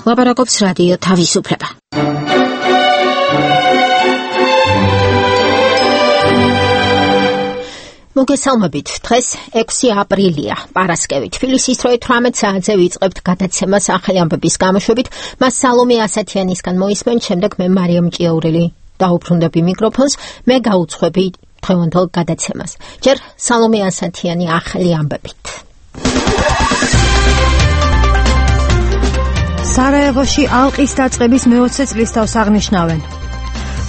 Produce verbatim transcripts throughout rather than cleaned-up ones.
ლაპარაკობს რადიო თავისუფლება. მოგესალმებით, დღეს ექვსი აპრილია, პარასკევი. თბილისის დროით თვრამეტ საათზე ვიწყებთ გადაცემას ახალი ამბების გამოშვებით. მას სალომე ასათიანისგან მოისმენთ, შემდეგ მე მარიამ ჭიაურელი დაუბრუნდები მიკროფონს, მე გაუძღვები დღევანდელ გადაცემას. ჯერ სალომე ასათიანი ახალი ამბებით. სარაევოში ალყის დაწყების მეოცე წლისთავს აღნიშნავენ.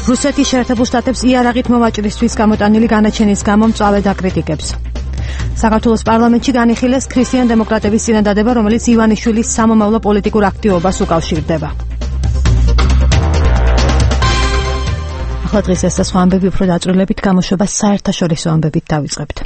რუსეთის შეერთებულ შტატებს იარაღით მოვაჭრისთვის გამოტანილი განაჩენის გამო მწვავე დაკრიტიკებს. საქართველოს პარლამენტში განიხილეს ქრისტიან დემოკრატების წინადადება, რომელიც ივანიშვილის სამომავლო პოლიტიკურ აქტივობას უკავშირდება. ახლა დღეს ეს და სხვა ამბები უფრო დაწვრილებით გამოშვებას საერთაშორისო ამბებით დავიწყებთ.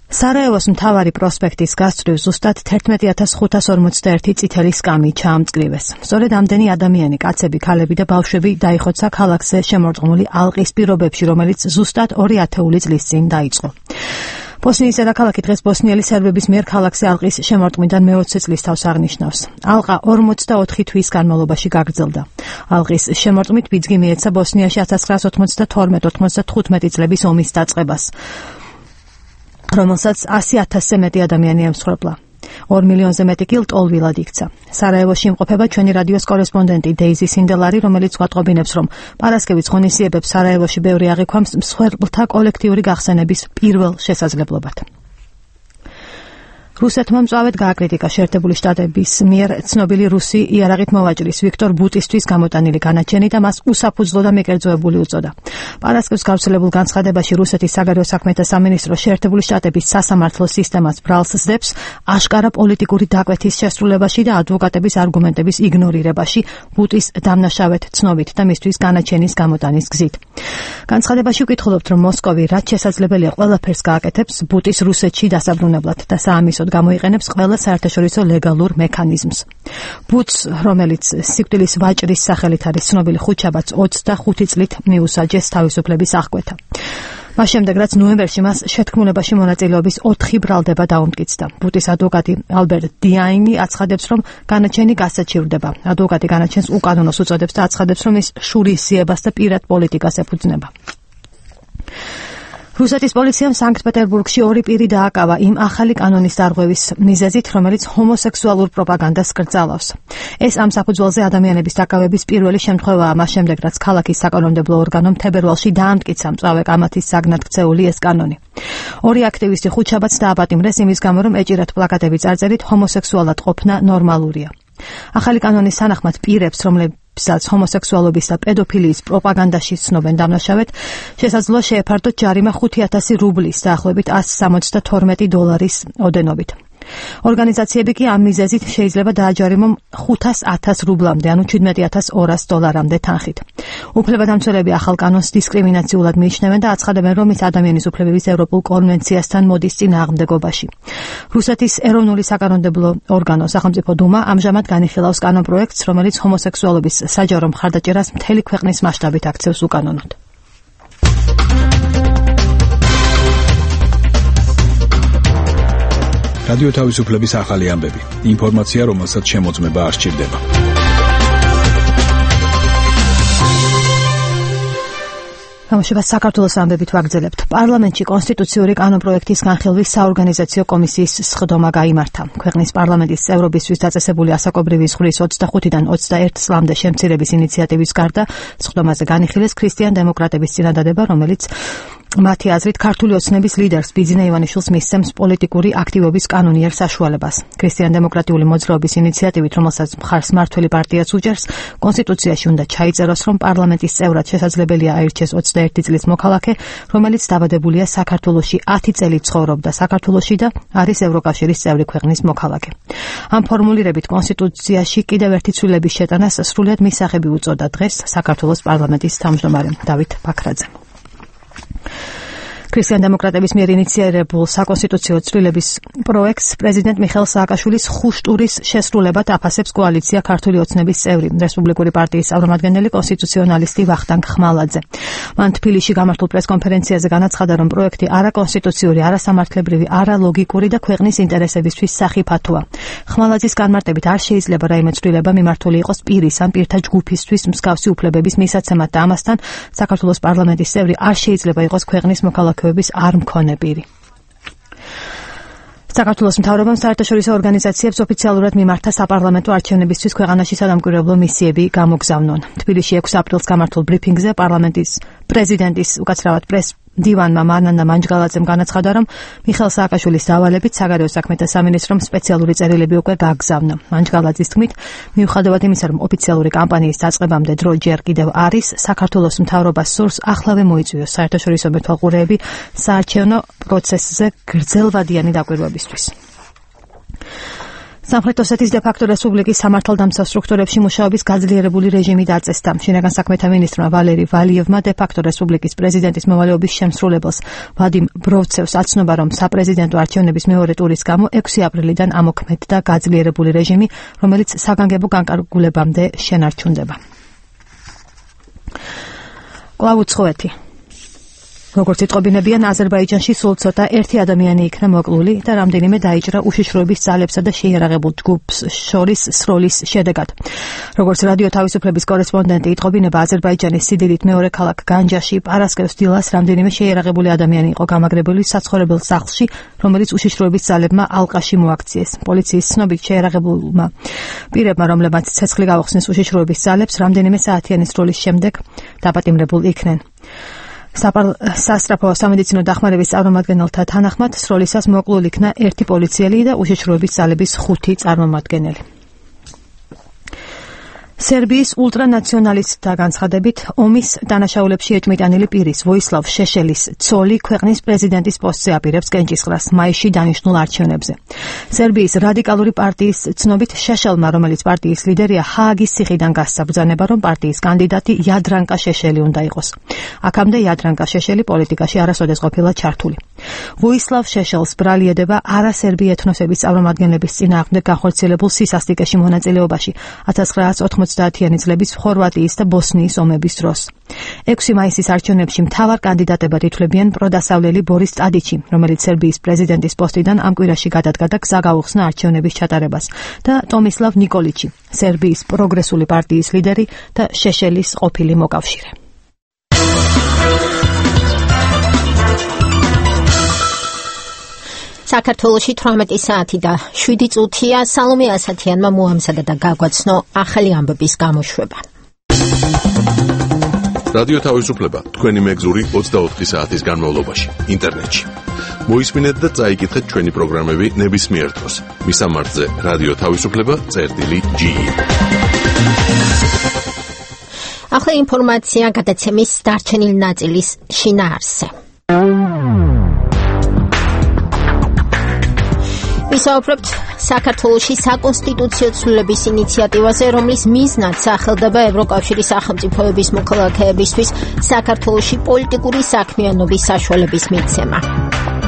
სარაევოს მთავარი პროსპექტის გასწვრივ ზუსტად თერთმეტი ათას ხუთას ორმოცდაერთი წითელი სკამი ჩაამწყლივეს. სწორედ ამდენი ადამიანი, კაცები, ქალები და ბავშვები დაიხოცა ქალაქზე შემორტყმული ალყის პირობებში, რომელიც ზუსტად ორი ათეული წლის წინ დაიწყო. ბოსნიის დედაქალაქი დღეს ბოსნიელი სერბების მიერ ქალაქზე ალყის შემორტყმიდან მეოცე წლისთავს აღნიშნავს. ალყა ორმოცდაოთხი თვის განმავლობაში გაგრძელდა. ალყის შემორტყმით ბიძგი მიეცა ბოსნიაში ათას ცხრაას ოცდათორმეტ ოცდათხუთმეტი წლების ომის დაწყებას, რომელსაც ასი ათასზე მეტი ადამიანი ემსხვერპლა. ორ მილიონზე მეტი კი ლტოლვილად იქცა. სარაევოში იმყოფება ჩვენი რადიოს კორესპონდენტი დეიზი სინდელარი, რომელიც გვატყობინებს, რომ პარასკევის ღონისძიებებს სარაევოში ბევრი აღიქვამს მსხვერპლთა კოლექტიური გახსენების პირველ შესაძლებლობად. რუსეთმა მწვავედ გააკრიტიკა შეერთებული შტატების მიერ ცნობილი რუსი იარაღით მოვაჭრის ვიქტორ ბუტისტვის გამოტანილი განაჩენი და მას უსაფუძვლო და მიკერძოებული უწოდა. პარასკევს გავრცელებულ განცხადებაში რუსეთის საგარეო საქმეთა სამინისტრო შეერთებული შტატების სასამართლო სისტემას ბრალს სდებს აშკარა პოლიტიკური დაკვეთის შესრულებაში და ადვოკატების არგუმენტების იგნორირებაში ბუტის დამნაშავედ ცნობით და მისთვის განაჩენის გამოტანის გზით. განცხადებაში ვკითხულობთ, რომ მოსკოვი რაც შესაძლებელია ყველაფერს გააკეთებს ბუტის რუსეთში დასაბრუნებლად და საამისოდ გამოიყენებს ყველა საერთაშორისო ლეგალურ მექანიზმს. ბუტს, რომელიც სიკვდილის ვაჭრის სახელით არის ცნობილი, ხუთშაბათს ოცდახუთი წლით მიუსაჯეს თავისუფლების აღკვეთა. მას შემდეგ, რაც ნოემბერში მას შეთქმულებაში მონაწილეობის ოთხი ბრალდება დაუმტკიცდა. ბუტის ადვოკატი ალბერტ დიაინი აცხადებს, რომ განაჩენი გასაჩივრდება. ადვოკატი განაჩენს უკანონოს უწოდებს და აცხადებს, რომ ის შურისძიებას და პირად პოლიტიკას ეფუძნება. რუსეთის პოლიციამ სანქტ-პეტერბურგში ორი პირი დააკავა იმ ახალი კანონის დარღვევის მიზეზით, რომელიც ჰომოსექსუალურ პროპაგანდას კრძალავს. ეს ამ საფუძველზე ადამიანების დაკავების პირველი შემთხვევაა, მას შემდეგ, რაც ქალაქის საკანონმდებლო ორგანომ თებერვალში დაამტკიცა მწვავე კამათის საგნად ქცეული ეს კანონი. ორი აქტივისტი ხუთშაბათს დააპატიმრეს იმის გამო, რომ ეჭირათ პლაკატები წარწერით ჰომოსექსუალად ყოფნა ნორმალურია. ახალი კანონის თანახმად პირებს, რომლებსაც ჰომოსექსუალობის და პედოფილიის პროპაგანდაში ცნობენ დამნაშავედ, შესაძლოა შეეფარდოთ ჯარიმა ხუთი ათასი რუბლის, დაახლოებით ასი სამოცდათორმეტი დოლარის ოდენობით. ორგანიზაციები კი ამ მიზეზით შეიძლება დააჯარიმონ ხუთას ათას რუბლამდე, ანუ შვიდმეტი ათას ორას დოლარამდე თანხით. უფლებადამცველები ახალ კანონს დისკრიმინაციულად მიიჩნევენ და აცხადებენ, რომ ის ადამიანის უფლებების ევროპულ კონვენციასთან მოდის წინააღმდეგობაში. რუსეთის ეროვნული საკანონმდებლო ორგანო სახელმწიფო დუმა ამჟამად განიხილავს კანონპროექტს, რომელიც ჰომოსექსუალობის საჯარო მხარდაჭერას მთელი ქვეყნის მასშტაბით აქცევს უკანონოდ. რადიო თავისუფლების ახალი ამბები. ინფორმაცია, რომელსაც შემოწმება არ სჭირდება. გამოშვებას საქართველოს ამბებით ვაგრძელებთ. პარლამენტში კონსტიტუციური კანონპროექტის განხილვის საორგანიზაციო კომისიის სხდომა გაიმართა. ქვეყნის პარლამენტის წევრობისთვის დაწესებული ასაკობრივი ზღვრის ოცდახუთიდან ოცდაერთ წლამდე შემცირების ინიციატივის გარდა სხდომაზე განიხილეს ქრისტიან დემოკრატების წინადადება, რომელიც მათი აზრით ქართული ოცნების ლიდერს ბიძინა ივანიშვილს მისცემს პოლიტიკური აქტივობის კანონიერ საშუალებას. ქრისტიან დემოკრატიული მოძრაობის ინიციატივით, რომელსაც მხარს მმართველი პარტიაც უჭერს, კონსტიტუციაში უნდა ჩაიწეროს, რომ პარლამენტის წევრად შესაძლებელია აირჩეს ოცდაერთი წლის მოქალაქე, რომელიც დაბადებულია საქართველოში ათი წელი ცხოვრობდა საქართველოში და არის ევროკავშირის წევრი ქვეყნის მოქალაქე. ამ ფორმულირებით კონსტიტუციაში კიდევ ერთი ცვლილების შეტანას სრულიად მისაღები უწოდა დღეს საქართველოს პარლამენტის თავმჯდომარემ დავით ბაქრაძემ. ქრისტიან-დემოკრატების მიერ ინიციირებულ საკონსტიტუციო ცვლილების პროექტს პრეზიდენტ მიხეილ სააკაშვილის ხუშტურის შესრულებად აფასებს კოალიცია ქართული ოცნების წევრი რესპუბლიკური პარტიის წარმომადგენელი კონსტიტუციონალისტი ვახტანგ ხმალაძე. მან თბილისში გამართულ პრესკონფერენციაზე განაცხადა, რომ პროექტი არაკონსტიტუციური, არასამართლებრივი, არალოგიკური და ქვეყნის ინტერესებისთვის სახიფათოა. ხმალაძის განმარტებით არ შეიძლება რაიმე ცვლილება მიმართული იყოს პირის ან პირთა ჯგუფისთვის მსგავსი უფლებების მისაცემად და ამასთან საქართველოს პარლამენტის წევრი არ შეიძლება იყოს ქვეყნის მოქალაქეობის არ მქონე პირი. საქართველოს მთავრობამ საერთაშორისო ორგანიზაციებს ოფიციალურად მიმართა საპარლამენტო არჩევნებისთვის ქვეყანაში სადამკვირვებლო მისიები გამოგზავნონ. თბილისში ექვსი აპრილს გამართულ ბრიფინგზე პარლამენტის პრეზიდენტის უკაცრავად პრეს დივანმა მარნანა მანჯგალაძემ განაცხადა, რომ მიხეილ სააკაშვილის დავალებით საგარეო საქმეთა სამინისტრომ სპეციალური წერილები უკვე გააგზავნა. მანჯგალაძის თქმით, მიუხედავად იმისა, რომ ოფიციალური კამპანიის დაწყებამდე დრო ჯერ კიდევ არის, საქართველოს მთავრობას სურს ახლავე მოიწვიოს საერთაშორისო მეთვალყურეები საარჩევნო პროცესზე გრძელვადიანი დაკვირვებისთვის. სამხრეთ ოსეთის დე-ფაქტო რესპუბლიკის სამართალდამცავ სტრუქტურებში მუშაობის გაძლიერებული რეჟიმი დაწესდა. შინაგან საქმეთა მინისტრმა ვალერი ვალიევმა დე-ფაქტო რესპუბლიკის პრეზიდენტის მოვალეობის შემსრულებელს ვადიმ ბროვცევს აცნობა, რომ საპრეზიდენტო არჩევნების მეორე ტურის გამო ექვსი აპრილიდან ამოქმედდა გაძლიერებული რეჟიმი, რომელიც საგანგებო განკარგულებამდე შენარჩუნდება. კვლავ უცხოეთი. როგორც იტყობინებიან, აზერბაიჯანში სულ ცოტა ერთი ადამიანი იქნა მოკლული და რამდენიმე დაიჭრა უშიშროების ძალებსა და შეიარაღებულ ჯგუფს შორის სროლის შედეგად. როგორც რადიო თავისუფლების კორესპონდენტი იტყობინება, აზერბაიჯანის სიდიდით მეორე ქალაქ განჯაში პარასკევს დილას რამდენიმე შეიარაღებული ადამიანი იყო გამაგრებული საცხოვრებელ სახლში, რომელიც უშიშროების ძალებმა ალყაში მოაქციეს. პოლიციის ცნობით შეიარაღებულმა პირებმა, რომლებმაც ცეცხლი გაუხსნეს უშიშროების ძალებს, რამდენიმე საათიანი სროლის შემდეგ დაპატიმრებულ იქნენ. სასწრაფო სამედიცინო დახმარების წარმომადგენელთა თანახმად სროლისას მოკლულ იქნა ერთი პოლიციელი და უშიშროების ძალების ხუთი წარმომადგენელი. სერბიის ულტრანაციონალისტთა განცხადებით, ომის დანაშაულებში ეჭმიტანილი პირის ვოისლავ შეშელის ცოლი ქვეყნის პრეზიდენტის პოსტზე აპირებს კენჭისყრას მაისში დანიშნულ არჩევნებზე. სერბიის რადიკალური პარტიის ცნობით, შეშელმა, რომელიც პარტიის ლიდერია, ჰააგის ციხიდან გასცა ბრძანება, რომ პარტიის კანდიდატი იადრანკა შეშელი უნდა იყოს. აქამდე იადრანკა შეშელი პოლიტიკაში არასოდეს ყოფილა ჩართული. ვოისლავ შეშელს ბრალი ედება არასერბი ეთნოსების წარმომადგენლების წინააღმდეგ განხორციელებულ სისასტიკეში მონაწილეობაში ათას ცხრაასი ოცდაათიანი წლების ხორვატიის და ბოსნიის ომების დროს. ექვსი მაისის არჩევნებში მთავარ კანდიდატებად ითვლებიან პროდასავლელი ბორის ტადიჩი, რომელიც სერბიის პრეზიდენტის პოსტიდან ამ კვირაში გადადგა და გზა გაუხსნა არჩევნების ჩატარებას, და ტომისლავ ნიკოლიჩი, სერბიის პროგრესული პარტიის ლიდერი და შეშელის ყოფილი მოკავშირე. საქართველოში თვრამეტი საათი და შვიდი წუთია. სალომე ასათიანმა მოამზადა და გაგვაცნო ახალი ამბების გამოშვება. რადიო თავისუფლება თქვენი მეგზური ოცდაოთხი საათის განმავლობაში ინტერნეტში. მოისმინეთ და წაიკითხეთ ჩვენი პროგრამები ნებისმიერ დროს. მისამართზე რადიო თავისუფლება წერტილი ჯი. ახლა ინფორმაცია გადაცემის დარჩენილ ნაწილის შინაარსზე. ვისაუბრებთ საქართველოში საკონსტიტუციო ცვლილების ინიციატივაზე, რომლის მიზნად სახელდება ევროკავშირის სახელმწიფოების მოქალაქეებისთვის საქართველოში პოლიტიკური საქმიანობის საშუალების მიცემა.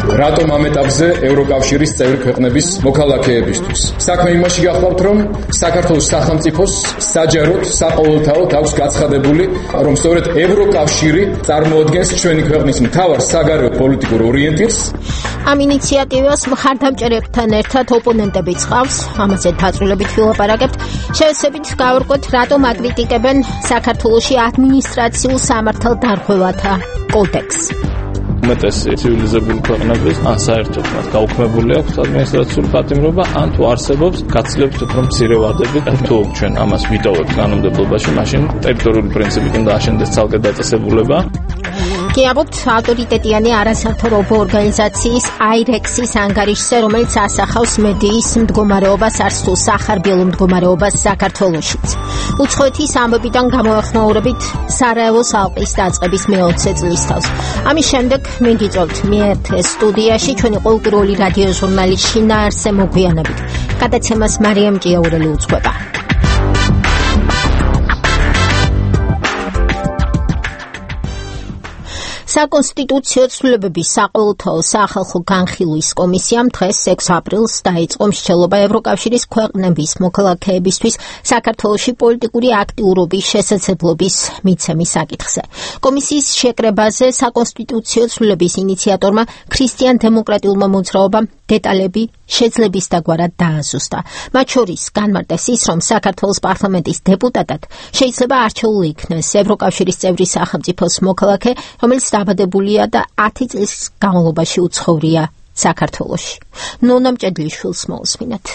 რატომ ამ ეტაპზე ევროკავშირის წევრი ქვეყნების მოქალაქეებისთვის? საქმე იმაში გახლავთ, რომ საქართველოს სახელმწიფოს საჯაროდ, საყოველთაოდ აქვს გაცხადებული, რომ სწორედ ევროკავშირი წარმოადგენს ჩვენი ქვეყნის მთავარ საგარეო პოლიტიკურ ორიენტირს. ამ ინიციატივას მხარდამჭერებთან ერთად ოპონენტებიც ყავს, ამაზე დაწვრილებით ვილაპარაკებთ. შევეცდებით გავარკვევთ, რატომ აკრიტიკებენ საქართველოში ადმინისტრაციულ სამართალდარღვევათა კოდექსს. უმეტესი ცივილიზებული ქვეყნების ან საერთოდ მათ გაუქმებული აქვს ადმინისტრაციული პატიმრობა, ან თუ არსებობს, გაცილებით უფრო მცირე ვადებით. თუ ჩვენ ამას ვიტოვებთ კანონმდებლობაში, მაშინ ტერიტორიული პრინციპი კიდე აშენდეს ცალკე დაწესებულება. კი, ამბობთ ავტორიტეტიანი არასამთავრობო ორგანიზაციის აირექსის ანგარიშზე, რომელიც ასახავს მედიის მდგომარეობას, არც თუ სახარბიელო მდგომარეობას საქართველოშიც. უცხოეთის ამბებიდან გამოეხმაურებით სარაევოს ალყის დაწყების მეოცე წლისთავს. ამის შემდეგ მიგიწევთ მიერთთ სტუდიაში ჩვენი ყოველკვირეული რადიო ჟურნალის შინაარსზე მოგვიანებით. გადაცემას მარიამ ჭიაურელი უძღვება. საკონსტიტუციო ცვლილებების საყოველთაო სახალხო განხილვის კომისიამ დღეს ექვსი აპრილს დაიწყო მსჯელობა ევროკავშირის ქვეყნების მოქალაქეებისთვის საქართველოში პოლიტიკური აქტიურობის შესაძლებლობის მიცემის საკითხზე. კომისიის შეკრებაზე საკონსტიტუციო ცვლილების ინიციატორმა ქრისტიან-დემოკრატიულმა მოძრაობამ დეტალები შეძლების დაგვარად დააზუსტა. მათ შორის განმარტეს ის, რომ საქართველოს პარლამენტის დეპუტატად შეიძლება არჩეული იქნეს ევროკავშირის წევრი სახელმწიფოს მოქალაქე, რომელიც დაბადებულია და ათი წლის განმავლობაში უცხოვრია საქართველოში. ნონა მჭედლიშვილს მოусმინეთ.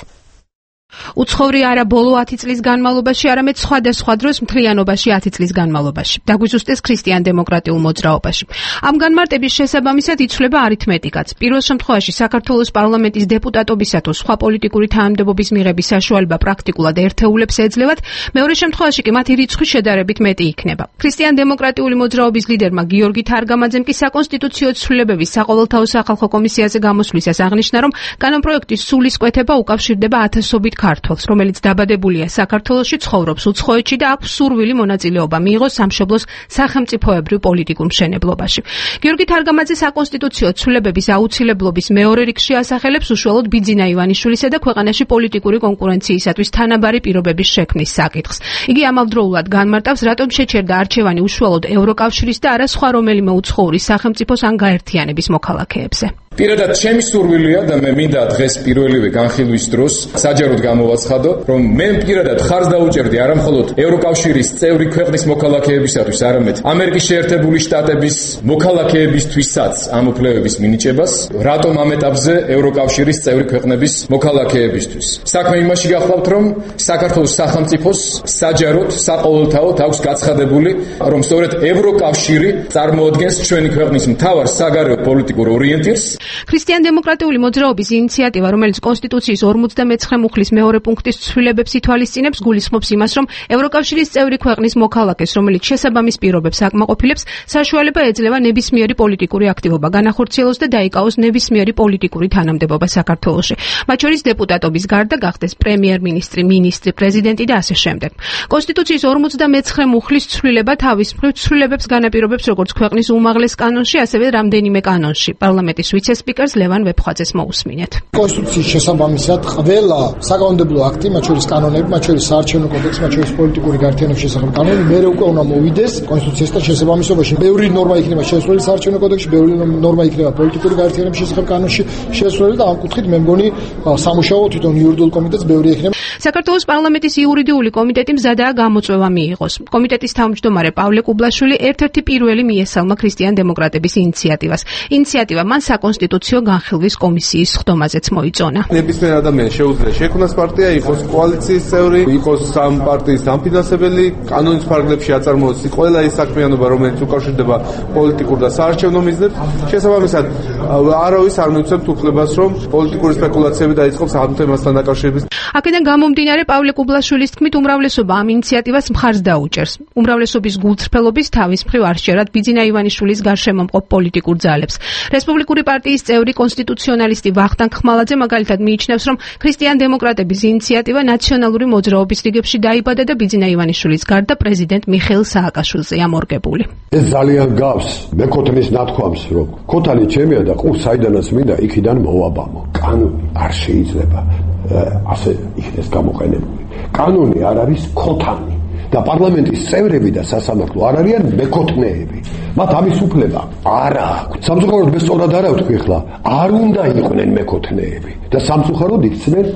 უცხოვრი არა ბოლო ათი წლის განმავლობაში, არამედ სხვადასხვა დროს მთლიანობაში ათი წლის განმავლობაში. დაგვიზუსტეს ქრისტიან-დემოკრატიულ მოძრაობაში. ამ განმარტების შესაბამისად იცვლება არითმეტიკაც. პირველ შემთხვევაში საქართველოს პარლამენტის დეპუტატობისა თუ სხვა პოლიტიკური თანამდებობის მიღების საშუალება პრაქტიკულად ერთეულებს ეძლევათ, მეორე შემთხვევაში კი მათი რიცხვი შედარებით მეტი იქნება. ქრისტიან-დემოკრატიული მოძრაობის ლიდერმა გიორგი თარგამაძემ კი საკონსტიტუციო ცვლილებების საყოველთაო სახალხო კომისიაზე გამოსვლისას აღნიშნა, რომ კანონპროექტის სულისკვეთება უკავშირდება ათასობით ქართველს, რომელიც დაბადებულია საქართველოში, ცხოვრობს უცხოეთში და აქვს სურვილი მონაწილეობა მიიღოს სამშობლოს სახელმწიფოებრივ პოლიტიკურ მშენებლობაში. გიორგი თარგამაძე საკონსტიტუციო ცვლილებების აუცილებლობის მეორე რიგში ასახელებს უშუალოდ ბიძინა ივანიშვილისა და ქვეყანაში პოლიტიკური კონკურენციისათვის თანაბარი პირობების შექმნის საკითხს. იგი ამავდროულად განმარტავს, რატომ შეჩერდა არჩევანი უშუალოდ ევროკავშირის და არა სხვა რომელიმე უცხოური სახელმწიფოს ან გაერთიანების მოქალაქეებზე. პირადად ჩემი სურვილია და მე მინდა დღეს პირველივე განხილვის დროს საჯაროდ გამოვაცხადო, რომ მე პირადად ხარს დაუჭერდი არა მხოლოდ ევროკავშირის წევრი ქვეყნის მოქალაქეებისათვის, არამედ ამერიკის შეერთებული შტატების მოქალაქეებისთვისაც ამ უფლებების მინიჭებას, რატომ ამ ეტაპზე ევროკავშირის წევრი ქვეყნების მოქალაქეებისთვის. საქმე იმაში გახლავთ, რომ საქართველოს სახელმწიფოს საჯაროდ საყოველთაოდ აქვს გაცხადებული, რომ სწორედ ევროკავშირი წარმოადგენს ჩვენი ქვეყნის მთავარ საგარეო პოლიტიკურ ორიენტირს. ქრისტიან-დემოკრატიული მოძრაობის ინიციატივა, რომელიც კონსტიტუციის ორმოცდამეცხრე მუხლის მეორე პუნქტის ცვლილებებს ითვალისწინებს, გულისხმობს იმას, რომ ევროკავშირის წევრი ქვეყნის მოქალაქეს, რომელიც შესაბამის პირობებს აკმაყოფილებს, საშუალება ეძლევა ნებისმიერი პოლიტიკური აქტივობა განახორციელოს და დაიკავოს ნებისმიერი პოლიტიკური თანამდებობა საქართველოში. მათ შორის დეპუტატობის გარდა გახდეს პრემიერ-მინისტრი, მინისტრი, პრეზიდენტი და ასე შემდეგ. კონსტიტუციის ორმოცდამეცხრე მუხლის ცვლილება თავის მხრივ ცვლილებებს განაპირობებს როგორც ქვეყნის უმაღლეს კანონში, ასევე რამდენიმე კანონში. პარლამენტის ვიცე-სპიკერს ლევან ვეფხვაძეს მოусმინეთ. კონსტიტუციის შესაბამისად ყველა საკანონმდებლო აქტი, მათ შორის კანონები, მათ შორის საარჩევნო კოდექსი, მათ შორის პოლიტიკური გაერთიანების შესახებ კანონი, მერე უკვე უნდა მოვიდეს კონსტიტუციასთან შესაბამისობაში. ბევრი ნორმა იქნება შესრულებული საარჩევნო კოდექსში, ბევრი ნორმა იქნება პოლიტიკური გაერთიანების შესახებ კანონში შესრულებული და ამ კუთხით მე მგონი სამუშაო თვითონ იურიდიულ კომიტეტს ბევრი იქნება. საქართველოს პარლამენტის იურიდიული კომიტეტი მზადაა გამოწვევა მიიღოს. კომიტეტის თავმჯდომარე პავლე კუბლაშვილი ერთ-ერთი პირველი მიესალმა ქრისტიან-დემოკრატების ინიციატივას. ინიციატივა მან საკონსტიტუციო განხილვის კომისიის ხდომაზეც მოიწონა. ნებისმიერ ადამიანს შეუძლია შექმნას პარტია, იყოს კოალიციის წევრი, იყოს სამ პარტიის დამფინანსებელი, კანონის ფარგლებში აწარმოოს ყველა ის საქმიანობა, რომელიც უკავშირდება პოლიტიკურ და საარჩევნო მიზნებს. შესაბამისად, არავის არ მივცემთ უფლებას, რომ პოლიტიკური სპეკულაციები დაიწყოს ამ თემასთან დაკავშირებით. აქედან გამომდინარე, პავლე კუბლაშვილის თქმით, უმრავლესობა ამ ინიციატივას მხარს დაუჭერს. უმრავლესობის გულწრფელობის თავის მხრივ არ შეერად ბიძინა ივანიშვილის გარშემო მყოფ პოლიტიკურ ძალებს. რესპუბლიკური პარტიის წევრი კონსტიტუციონალისტი ვახტანგ ხმალაძე მაგალითად მიიჩნევს, რომ ქრისტიან-დემოკრატების ინიციატივა ნაციონალური მოძრაობის რიგებში დაიბადა და ბიძინა ივანიშვილის გარდა პრეზიდენტ მიხეილ სააკაშვილზეა მორგებული. ეს ძალიან გავს მეკოთნის ნათქვამს, რომ ქოთანი ჩემია და ყურს საიდანაც მინდა იქიდან მოვაბამო. კანონი არ შეიძლება ასე იქნეს გამოყენებული. კანონი არ არის ქოთანი და პარლამენტის წევრები და სასამართლო არ არიან მეკოთნეები. მათ ამის უფლება არ აქვს. სამწუხაროდ მე სწორად არა ვთქვი ხლა, არ უნდა იყვნენ მეკოთნეები და სამწუხაროდ იქცნენ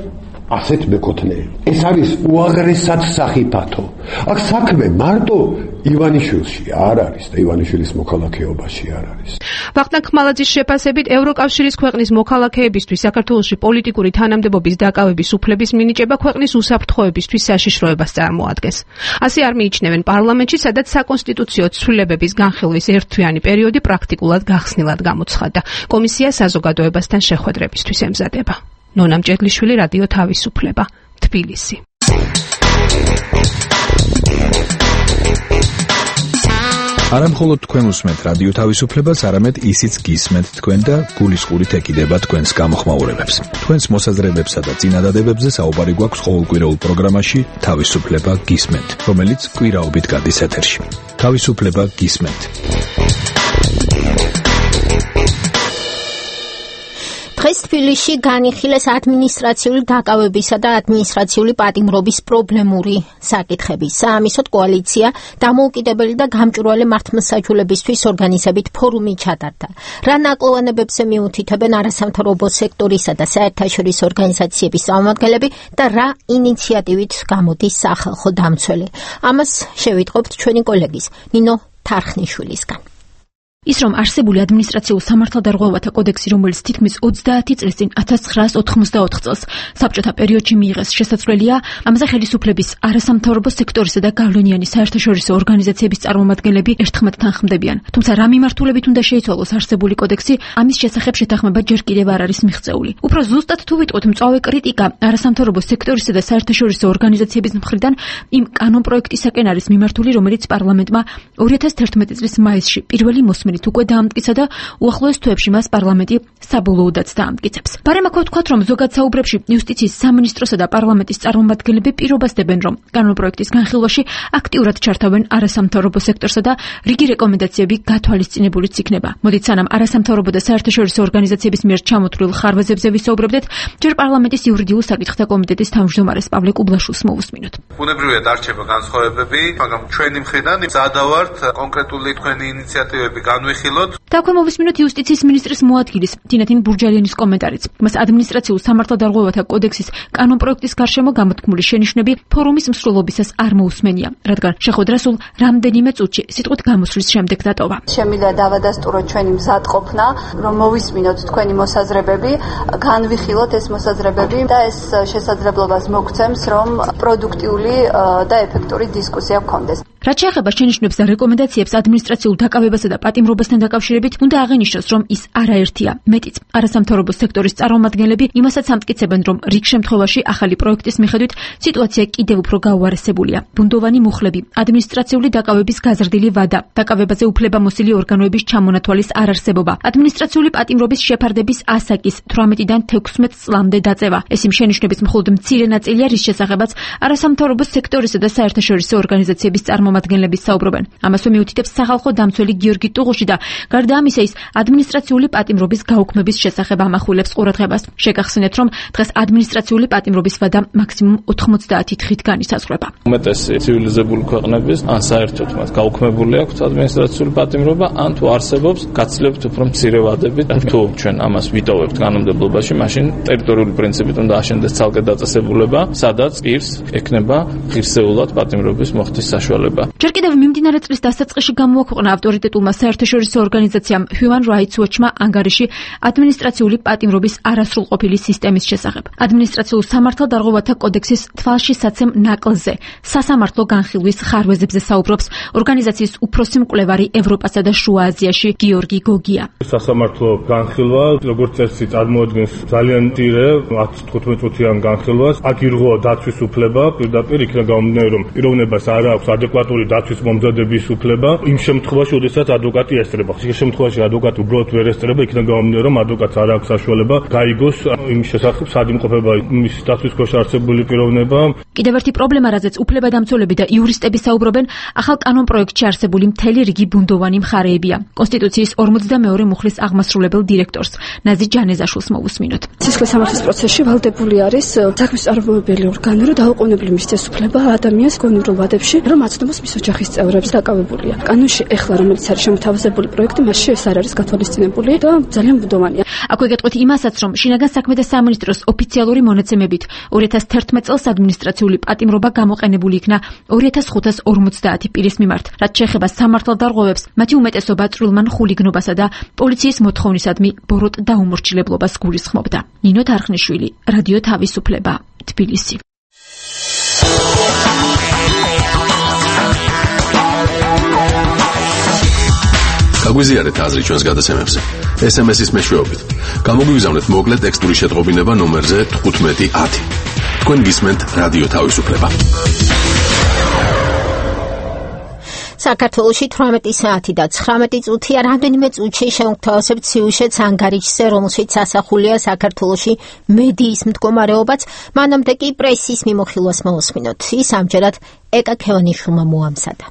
ასეთ მეკოთნეები. ეს არის უაღრესად სახიფათო. აქ საქმე მარტო ივანიშვილში არ არის და ივანიშვილის მოქალაქეობაში არ არის. ვახტანგ ხმალაძის შეფასებით, ევროკავშირის ქვეყნის მოქალაქეებისთვის საქართველოში პოლიტიკური თანამდებობის დაკავების უფლების მინიჭება ქვეყნის უსაფრთხოებისთვის საშიშროებას წარმოადგენს. ასე არ მიიჩნევენ პარლამენტში, სადაც საკონსტიტუციო ცვლილებების განხილვის ერთთვიანი პერიოდი პრაქტიკულად გახსნილად გამოცხადდა. კომისია საზოგადოებასთან შეხვედრებისთვის ემზადება. ნონა მჭედლიშვილი, რადიო თავისუფლება, თბილისი. არა მხოლოდ თქვენ უსმენთ რადიო თავისუფლებას, არამედ ისიც გისმენთ თქვენ და გულისყურით ეკიდება თქვენს გამოხმაურებებს. თქვენს მოსაზრებებსა და წინადადებებზე საუბარი გვაქვს ყოველკვირეულ პროგრამაში თავისუფლება გისმენთ, რომელიც კვირაობით გადის ეთერში. თავისუფლება გისმენთ. დღეს თბილისში განიხილეს ადმინისტრაციული დაკავებისა და ადმინისტრაციული პატიმრობის პრობლემური საკითხები. საამისოდ კოალიცია დამოუკიდებელი და გამჭვირვალე მართლმსაჯულებისთვის ორგანიზებით ფორუმი ჩატარდა. რა ნაკლოვანებებზე მიუთითებენ არასამთავრობო სექტორისა და საერთაშორისო ორგანიზაციების წარმომადგენლები და რა ინიციატივით გამოდის სახალხო დამცველი. ამას შევიტყობთ ჩვენი კოლეგის ნინო თარხნიშვილისგან. ის რომ არსებული ადმინისტრაციულ სამართალდარღვევათა კოდექსი, რომელიც თითქმის ოცდაათი წლის წინ ათას ცხრაას ოთხმოცდაოთხ წელს საბჭოთა პერიოდში მიიღეს, შესაძლებელია ამაზე ხელისუფლების არასამთავრობო სექტორისა და გავლენიანი საერთაშორისო ორგანიზაციების წარმომადგენლები ერთხმათთან ხმდებიან. თუმცა რა მიმართულებით უნდა შეიცვალოს არსებული კოდექსი, ამის შესახებ შეთანხმება ჯერ კიდევ არ არის მიღწეული. უფრო ზუსტად თუ ვიტყვით, მწვავე კრიტიკა არასამთავრობო სექტორისა და საერთაშორისო ორგანიზაციების მხრიდან იმ კანონპროექტისაკენ არის მიმართული, რომელიც პარლამენტმა ორი ათას თერთმეტი წლის მაისში პირველი მოსმენით უკვე დაამტკიცა და უახლოეს თვეებში მას პარლამენტი საბოლოოდაც დაამტკიცებს. ბარემ აქ ვთქვათ, რომ ზოგად საუბრებში იუსტიციის სამინისტროსა და პარლამენტის წარმომადგენლები პირობას დებენ, რომ კანონპროექტის განხილვაში აქტიურად ჩართავენ არასამთავრობო სექტორსა და რიგი რეკომენდაციები გათვალისწინებულიც იქნება. მოდით სანამ არასამთავრობო და საერთაშორისო ორგანიზაციების მიერ ჩამოთვლილ ხარვეზებზე ვისაუბრებდეთ, ჯერ პარლამენტის იურიდიულ საკითხთა კომიტეტის თავმჯდომარეს პავლე კუბლაშვილს მოვუსმინოთ. ბუნებრივია დარჩება განსხვავებები, მაგრამ ჩვენი მხრიდან მზადავართ კონკრეტული თქვენი ინიციატივები განვიხილოთ. და აქვე მოვისმინოთ იუსტიციის მინისტრის მოადგილის თინათინ ბურჯალიანის კომენტარიც. მას ადმინისტრაციულ სამართალდარღვევათა კოდექსის კანონპროექტის გარშემო გამოთქმული შენიშვნები ფორუმის მსვლელობისას არ მოусმენია, რადგან შეხვედრა სულ რამდენიმე წუთში სიტყვით გამოსვლის შემდეგ დატოვა. შემიძლია დავადასტუროთ ჩვენი მზადყოფნა, რომ მოვისმინოთ თქვენი მოსაზრებები, განვიხილოთ ეს მოსაზრებები და ეს შესაძლებლობას მოგცემს, რომ პროდუქტიული და ეფექტური დისკუსია გქონდეს. რაც შეეხება შენიშვნებს და რეკომენდაციებს ადმინისტრაციულ დაკავებასა და პატიმრობასთან დაკავშირებით, უნდა აღინიშნოს, რომ ის არაერთია. მეტიც, არასამთავრობო სექტორის წარმომადგენლები იმასაც ამტკიცებენ, რომ რიგ შემთხვევაში ახალი პროექტის მიხედვით სიტუაცია კიდევ უფრო გაუარესებულია. ბუნდოვანი მუხლები, ადმინისტრაციული დაკავების გაზრდილი ვადა, დაკავებაზე უფლებამოსილი ორგანოების ჩამონათვალის არარსებობა, ადმინისტრაციული პატიმრობის შეფარდების ასაკის თვრამეტიდან თექვსმეტ წლამდე დაწევა. ეს იმ შენიშვნების მხოლოდ მცირე ნაწილია, რის შესახებაც არასამთავრობო სექტორისა და საერთაშორისო ორგანიზაციების წარმომადგენლების საუბრობენ. ამასვე მიუთითებს სახალხო დამცველი გიორგი ტუღუში და გარდა ამისა ის ადმინისტრაციული პატიმრობის გაუქმების შესახებ ამახვილებს ყურადღებას. შეგახსენეთ, რომ დღეს ადმინისტრაციული პატიმრობის ვადა მაქსიმუმ ოთხმოცდაათი დღით განისაზღვრება. უმეტესი ცივილიზებული ქვეყნების ან საერთოდ მათ გაუქმებული აქვს ადმინისტრაციული პატიმრობა, ან თუ არსებობს, გაცილებით უფრო მცირე ვადებით. თუ ჩვენ ამას ვიტოვებთ კანონმდებლობაში, მაშინ ტერიტორიული პრინციპით უნდა აშენდეს ცალკე დაწესებულება, სადაც პირს ექნება ღირსეულად პატიმრობის მოხდის საშუალება. ჯერ კიდევ მიმდინარე წლის დასაწყისში გამოაქვეყნა ავტორიტეტულმა საერთაშორისო ორგანიზაციამ Human Rights Watch-მა ანგარიში ადმინისტრაციული პატიმრობის არასრულყოფილი სისტემის შესახებ. ადმინისტრაციულ სამართალდარღვევათა კოდექსის თვალშისაცემ ნაკლზე სასამართლო განხილვის ხარვეზებზე საუბრობს ორგანიზაციის უფროსი მკვლევარი ევროპასა და შუა აზიაში გიორგი გოგია. სასამართლო განხილვა, როგორც წესი, წარმოადგენს ძალიან მცირე ათი თხუთმეტ წუთიან განხილვას. აქ ირღვევა დაცვის უფლება, პირდაპირ იქნა გამომდინარე, რომ პიროვნებას არ აქვს ადეკვატური დაცვის მომზადების უფლება იმ შემთხვევაში, როდესაც ადვოკატი ესწრება. ხშირ შემთხვევაში ადვოკატი უბრალოდ ვერ ესწრება, იქნა გამომდინარე, რომ ადვოკატს არ აქვს საშუალება გაიგოს იმ შესახებ სად იმყოფება მის დაცვის ქვეშ არსებული პიროვნება. კიდევ ერთი პრობლემა, რაზეც უფლებადამცველები და იურისტები საუბრობენ, ახალ კანონპროექტში არსებული მთელი რიგი ბუნდოვანი მხარეებია. კონსტიტუციის ორმოცდამეორე მუხლის აღმასრულებელ დირექტორს ნაზი ჯანეზაშვილს მოვუსმინოთ. სისხლის სამართლის პროცესში ვალდებული არის საქმის წარმოებელი ორგანო, რომ დაუყოვნებლივ მისცეს უფლება ადამიანს გონივრულ ვადებში, რომ აცნობს მის ოჯახის წევრებს დაკავებულია. კანონში ეხლა რომელიც არის შემოთავაზებული პროექტი, მასში ეს არ არის გათვალისწინებული და ძალიან ბუნდოვანია. აქვე გეტყვით იმასაც, რომ შინაგან საქმე და სამინისტროს ოფიციალური მონაცემებით ორი ათას თერთმეტ წელს ადმინისტრაციული პატიმრობა გამოყენებული იქნა ორი ათას ხუთას ორმოცდაათი პირის მიმართ. რაც შეეხება სამართალდარღვევებს, მათი უმეტესობა წვრილმან ხულიგნობასა და პოლიციის მოთხოვნისადმი ბოროტ დაუმორჩილებლობას გულისხმობდა. ნინო თარხნიშვილი, რადიო თავისუფლება, თბილისი. გაგვიზიარეთ აზრი ჩვენს გადაცემებზე. ეს ემ ეს-ის მეშვეობით. გამოგვიგზავნეთ მოკლე ტექსტური შეტყობინება ნომერზე თხუთმეტი ათი. თქვენ გისმენთ რადიო თავისუფლება. საქართველოში თვრამეტი საათი და ცხრამეტი წუთია. რამდენიმე წუთში შევთავაზებთ სიუჟეტს ანგარიშზე, რომელშიც ასახულია საქართველოში მედიის მდგომარეობაც. მანამდე კი პრესის მიმოხილვას მოვუსმინოთ. ის ამჯერად ეკა ქევანიშვილმა მოამზადა.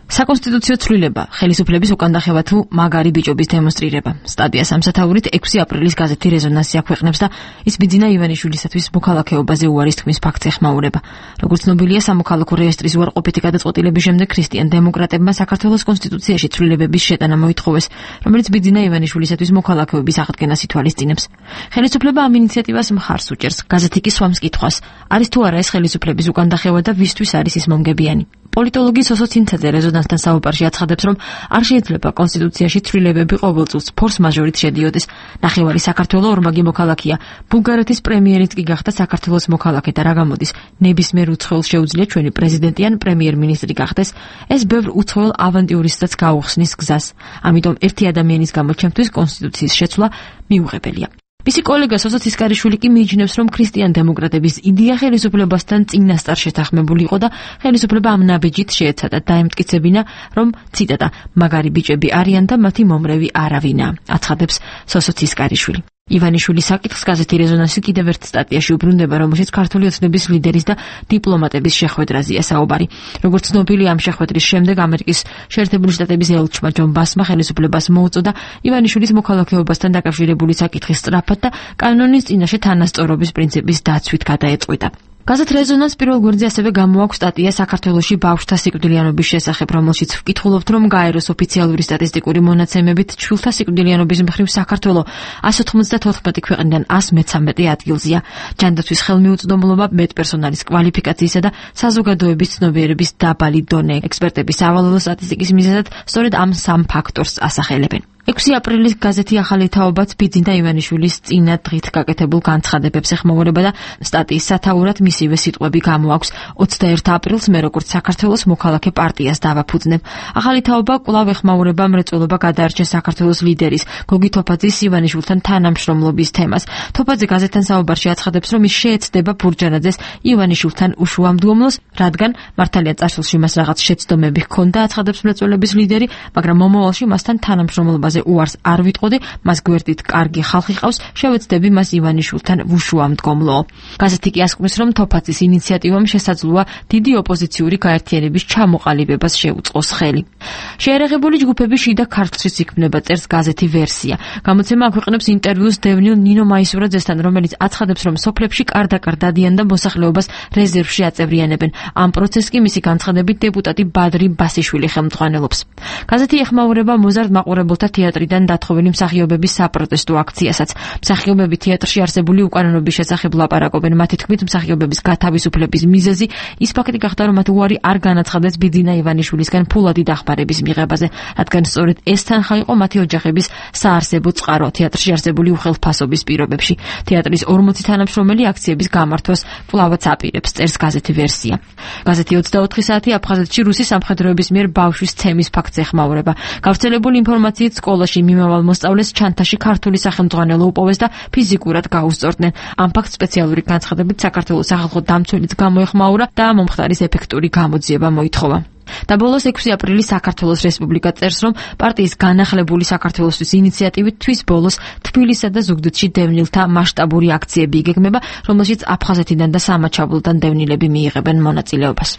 საკონსტიტუციო ცვლილება, ხელისუფლების უკანდახევა თუ მაგარი ბიჭობის დემონსტრირება. სტატია სამსათაურით ექვსი აპრილის გაზეთი რეზონანსი აქვეყნებს და ის ბიძინა ივანიშვილისათვის მოქალაქეობაზე უარის თქმის ფაქტს ეხმაურება. როგორც ცნობილია, სამოქალაქო რეესტრის უარყოფითი გადაწყვეტილების შემდეგ ქრისტიან დემოკრატებმა საქართველოს კონსტიტუციაში ცვლილებების შეტანა მოითხოვეს, რომელიც ბიძინა ივანიშვილისათვის მოქალაქეობის აღდგენას ითვალისწინებს. ხელისუფლება ამ ინიციატივას მხარს უჭერს. გაზეთი კი swams კითხვას, არის თუ არა ეს ხელისუფლების უკანდახევა და ვისთვის არის ის მომგებიანი. პოლიტოლოგი სოსო ცინცაძე რეზონანსთან საუბარში აცხადებს, რომ არ შეიძლება კონსტიტუციაში ცვლილებები ყოველ წელს ფორს მაჟორით შედიოდეს. ნახევარი საქართველოს ორმაგი მოქალაქეა. ბულგარეთის პრემიერიც კი გახდა საქართველოს მოქალაქე და რა გამოდის, ნებისმიერ უცხოელს შეუძლია ჩვენი პრეზიდენტი ან პრემიერ-მინისტრი გახდეს. ეს ბევრ უცხოელ ავანტიურისტსაც გაუხსნის გზას. ამიტომ ერთი ადამიანის გამო ჩემთვის კონსტიტუციის შეცვლა მიუღებელია. მისი კოლეგა სოსო ცისკარიშვილი კი მიიჩნევს, რომ ქრისტიან დემოკრატების იდეა ხელისუფლებასთან წინასწარ შეთანხმებული იყო და ხელისუფლება ამ ნაბიჯით შეეცადა დაემტკიცებინა, რომ ციტატა მაგარი ბიჭები არიან და მათი მომრევი არავინა, აცხადებს სოსო ცისკარიშვილი. ივანიშვილის საკითხს გაზეთი რეზონანსი კიდევ ერთ სტატიაში უბრუნდება, რომელშიც ქართული ოცნების ლიდერის და დიპლომატების შეხვედრაზეა საუბარი. როგორც ცნობილია, ამ შეხვედრის შემდეგ ამერიკის შეერთებული შტატების ელჩმა ჯონ ბასმა ხელისუფლებას მოუწოდა ივანიშვილის მოქალაქეობასთან დაკავშირებული საკითხის სწრაფად და კანონის წინაშე თანასწორობის პრინციპის დაცვით გადაეწყვიტა. გაზეთ რეზონანს პირველ გვერდზე ასევე გამოაქვს სტატია საქართველოში ბავშვთა სიკვდილიანობის შესახებ, რომელშიც ვკითხულობთ, რომ გაეროს ოფიციალური სტატისტიკური მონაცემებით ჩვილთა სიკვდილიანობის მხრივ საქართველო εκατს ოთხმოცდათოთხმეტი ქვეყნიდან εκατს მეთერთმეტე ადგილზეა. ჯანდაცვის ხელმიუწვდომლობა, მეტპერსონალის კვალიფიკაციისა და საზოგადოების ცნობიერების დაბალი დონე. ექსპერტების სავალალო სტატისტიკის მიზეზად სწორედ ამ სამ ფაქტორს ასახელებენ. ექვსი აპრილის გაზეთი ახალი თაობაც ბიძინა ივანიშვილის წინა დღით გაკეთებულ განცხადებებს ეხმაურება და სტატიის სათაურად მისივე სიტყვები გამოაქვს. ოცდაერთი აპრილს მე როგორც საქართველოს მოქალაქე პარტიას დავაფუძნებ. ახალი თაობა კვლავ ეხმაურება მრეწველობა გადაარჩეს საქართველოს ლიდერის გოგი თოფაძის ივანიშვილთან თანამშრომლობის თემას. თოფაძე გაზეთთან საუბარში აცხადებს, რომ ის შეეცდება ბურჯანაძეს ივანიშვილთან უშუამდგომლოს, რადგან მართალია წარსულში მას რაღაც შეცდომები ჰქონდა, აცხადებს მრეწველობის ლიდერი, მაგრამ მომავალში მასთან თანამშრომლობაზე უარს არ ვიტყოდი, მას გვერდით კარგი ხალხი ყავს, შევეცდები მას ივანიშვილთან ვუშუამდგომლო. გაზეთი კი ასკვნეს, რომ თოფაძის ინიციატივამ შესაძლოა დიდი ოპოზიციური გაერთიანების ჩამოყალიბებას შეუწყოს ხელი. შეერაღებული ჯგუფები შიდა ქართლშიც იქმნება, წერს გაზეთი ვერსია. გამოცემა აქვეყნებს ინტერვიუს დევნილ ნინო მაისურაძესთან, რომელიც აცხადებს, რომ სოფლებში კარდაკარ დადიან და მოსახლეობას რეზერვში აწევრიანებენ. ამ პროცესს კი მისი განცხადებით დეპუტატი ბადრი ბასიშვილი ხელმძღვანელობს. გაზეთი ეხმაურება მოზარდ მაყურებელთა თეატრიდან დათხოვილი მსახიობების საპროტესტო აქციასაც. მსახიობები თეატრში არსებული უკანონობის შესახებ ლაპარაკობენ. მათი თქმით, მსახიობების გათავისუფლების მიზეზი ის ფაქტი გახდა, რომ მათ უარი არ განაცხადეს ბიძინა ივანიშვილისგან ფულადი დახმარების მიღებაზე, რადგან სწორედ ეს თანხა იყო მათი ოჯახების საარსებო წყარო თეატრში არსებული უხელთფასობის პირობებში. თეატრის ორმოცი თანამშრომელი აქციების გამართვას კვლავაც აპირებს, წერს გაზეთი ვერსია. გაზეთი ოცდაოთხი საათი აფხაზეთში რუსი სამხედროების მიერ ბავშვის ცემის ფაქტს ეხმაურება. გავრცელებული ინფორმაციით სკოლაში მიმავალ მოსწავლეს ჩანთაში ქართული სახელმძღვანელო უპოვეს და ფიზიკურად გაუსწორდნენ. ამ ფაქტს სპეციალური განცხადებით საქართველოს სახალხო დამცველიც გამოეხმაურა და მომხდარის ეფექტური გამოძიება მოითხოვა. და ბოლოს ექვსი აპრილის საქართველოს რესპუბლიკა წერს, რომ პარტიის განახლებული საქართველოსთვის ინიციატივით თვის ბოლოს თბილისსა და ზუგდიდში დევნილთა მასშტაბური აქციები იგეგმება, რომელშიც აფხაზეთიდან და სამაჩაბლოდან დევნილები მიიღებენ მონაწილეობას.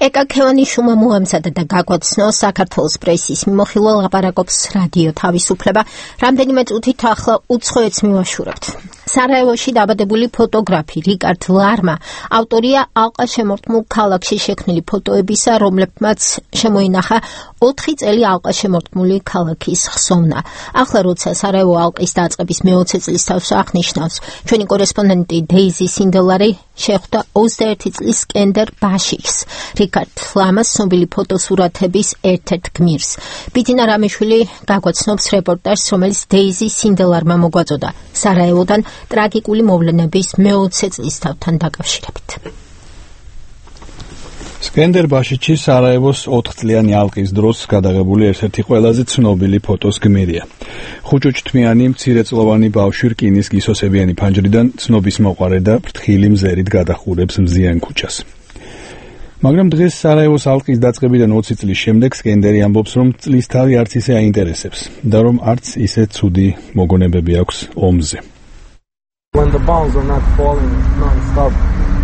ეკა ქევანიშვილმა მოამზადა და გაგვაცნო საქართველოს პრესის მიმოხილვა ლაპარაკობს რადიო თავისუფლება. რამდენიმე წუთით ახლა უცხოეთს მივაშურებთ. სარაევოში დაბადებული ფოტოგრაფი რიკარდ ლარმა ავტორია ალყა შემორტმულ ქალაქში შექმნილი ფოტოებისა, რომლებმაც შემოინახა ოთხი წელი ალყა შემორტმული ქალაქის ხსოვნა. ახლა როცა სარაევო ალყის დაწყების მეოცე წლის თავს აღნიშნავს, ჩვენი კორესპონდენტი დეიზი სინდელარი შეხვდა ოცდაერთი წლის სკენდერ ბაშიქს, რიკარდ ლამას ცნობილი ფოტოსურათების ერთ-ერთ გმირს. ბიძინა რამიშვილი გაგვაცნობს რეპორტაჟს, რომელიც დეიზი სინდელარმა მოგვაწოდა სარაევოდან ტრაგიკული მოვლენების მეოცე წლისთავთან დაკავშირებით. სკენდერ ბაშიჩი სარაევოს ოთხწლიანი ალყის დროს გადაღებული ერთ-ერთი ყველაზე ცნობილი ფოტოს გმირია. ხუჭუჭთმიანი მცირეწლოვანი ბავშვი რკინის გისოსებიანი ფანჯრიდან ცნობის მოყარე და ფრთხილი მზერით გადახურებს მზიან ქუჩას. მაგრამ დღეს სარაევოს ალყის დაწყებიდან ოცი წლის შემდეგ სკენდერი ამბობს, რომ წლისთავი არც ისე აინტერესებს და რომ არც ისე ცუდი მოგონებები აქვს ომზე. When the bombs are not falling non-stop,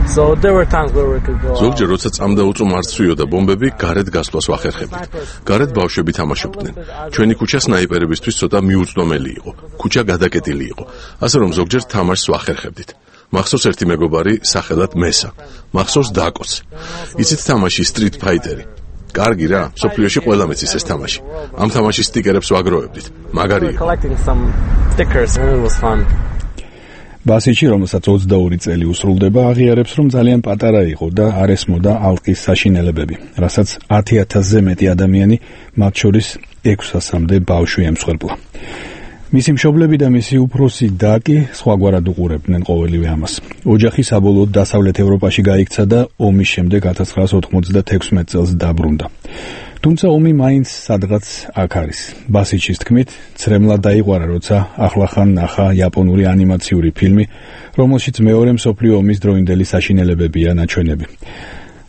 So there were times where we could go. ზოგჯერ როცა წამდა უწუ მარცვიოდა ბომბები, გარეთ გასვლას ვახერხებდით. გარეთ ბავშვები თამაშობდნენ. ჩვენი ქუჩა სნაიპერებისთვის ცოტა მიუწვდომელი იყო. ქუჩა გადაკეტილი იყო. ასე რომ ზოგჯერ თამაშს ვახერხებდით. მახსოვს ერთი მეგობარი სახელად მესა. მახსოვს დაკოც. იცით თამაში Street Fighter-ი? კარგი რა, სოფლიოში ყველა მეცის ეს თამაში. ამ თამაშის სტიკერებს ვაგროვებდით. მაგარი იყო. ბასიჩი, რომელსაც ოცდაორი წელი უსრულდება, აღიარებს, რომ ძალიან პატარა იყო და არ ესმოდა ალყის საშინელებები, რასაც ათი ათასზე მეტი ადამიანი, მათ შორის ექვსასამდე ბავშვი ემსხვერპლა. მისი მშობლები და მისი უფროსი და კი სხვაგვარად უყურებდნენ ყოველივე ამას. ოჯახი საბოლოოდ დასავლეთ ევროპაში გაიქცა და ომის შემდეგ ათას ცხრაას ოთხმოცდათექვსმეტ წელს დაბრუნდა. თუმცა ომი მაინც სადღაც აქ არის. ბასიჩის თქმით, ცრემლად დაიყვარა, როცა ახლახან ნახა იაპონური ანიმაციური ფილმი, რომელშიც მეორე მსოფლიო ომის დროინდელი საშინელებებია ნაჩვენები.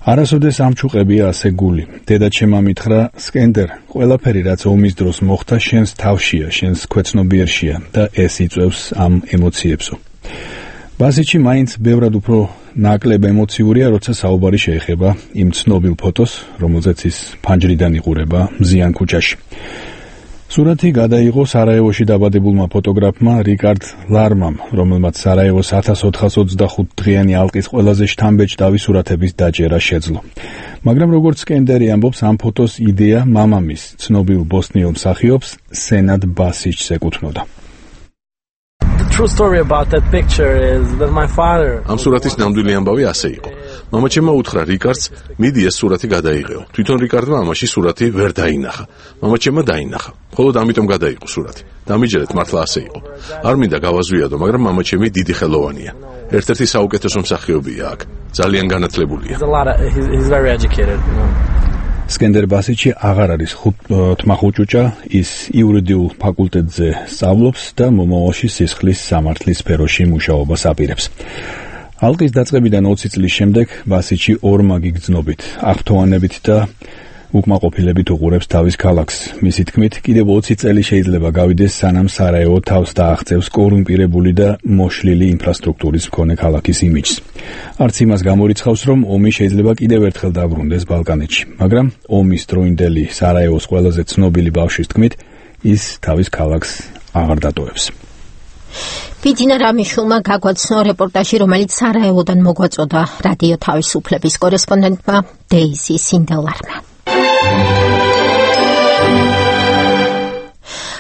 არასოდეს ამჩუყებია ასე გული. დედაჩემმა მითხრა, სკენდერ, ყველაფერი რაც ომის დროს მოხდა, შენს თავშია, შენს ქვეცნობიერშია და ეს იწვევს ამ ემოციებსო. ბასიჩი მაინც ბევრად უფრო ნაკლებ ემოციურია, როცა საუბარი შეეხება იმ ცნობილ ფოტოს, რომელზეც ის ფანჯრიდან იყურება მზიან ქუჩაში. სურათი გადაიღო სარაევოში დაბადებულმა ფოტოგრაფმა რიკარდ ლარმამ, რომელმაც სარაევოს ათას ოთხას ოცდახუთ დღიანი ალყის ყველაზე შთამბეჭდავი სურათების დაჭერა შეძლო. მაგრამ როგორც სკენდერი ამბობს, ამ ფოტოს იდეა მამამის, ცნობილ ბოსნიელ მსახიობს სენად ბასიჩს ეკუთვნოდა. True story about that picture is that my father ამ სურათის ნამდვილი ამბავი ასე იყო. მამაჩემმა უთხრა რიკარდს, მიდი ეს სურათი გადაიღეო. თვითონ რიკარდმა ამაში სურათი ვერ დაინახა. მამაჩემმა დაინახა. მხოლოდ ამიტომ გადაიღო სურათი. დამიჯერეთ, მართლა ასე იყო. არ მინდა გავაზვიადო, მაგრამ მამაჩემი დიდი ხელოვანია. ერთ-ერთი საუკეთესო მსახიობია აქ. ძალიან განათლებულია. He's very educated, you know. სკენდერ ბასიჩი აღარ არის თმახუჭუჭა, ის იურიდიულ ფაკულტეტზე სწავლობს და მომავალში სისხლის სამართლის სფეროში მუშაობას აპირებს. ალყის დაწყებიდან ოცი წლის შემდეგ ბასიჩი ორმაგი გრძნობით, აღფრთოვანებით და უკმაყოფილებით უყურებს თავის ქალაქს. მისი თქმით, კიდევ ოცი წელი შეიძლება გავიდეს, სანამ სარაევო თავს დააღწევს კორუმპირებული და მოშლილი ინფრასტრუქტურის მქონე ქალაქის იმიჯს. არც იმას გამორიცხავს, რომ ომი შეიძლება კიდევ ერთხელ დაბრუნდეს ბალკანეთში, მაგრამ ომის დროინდელი სარაევოს ყველაზე ცნობილი ბავშვის თქმით, ის თავის ქალაქს აღარ დატოვებს. ბიძინა რამიშულმა გაგვაცნო რეპორტაჟი, რომელიც სარაევოდან მოგვაწოდა რადიო თავისუფლების კორესპონდენტმა დეიზი სინდელარმა.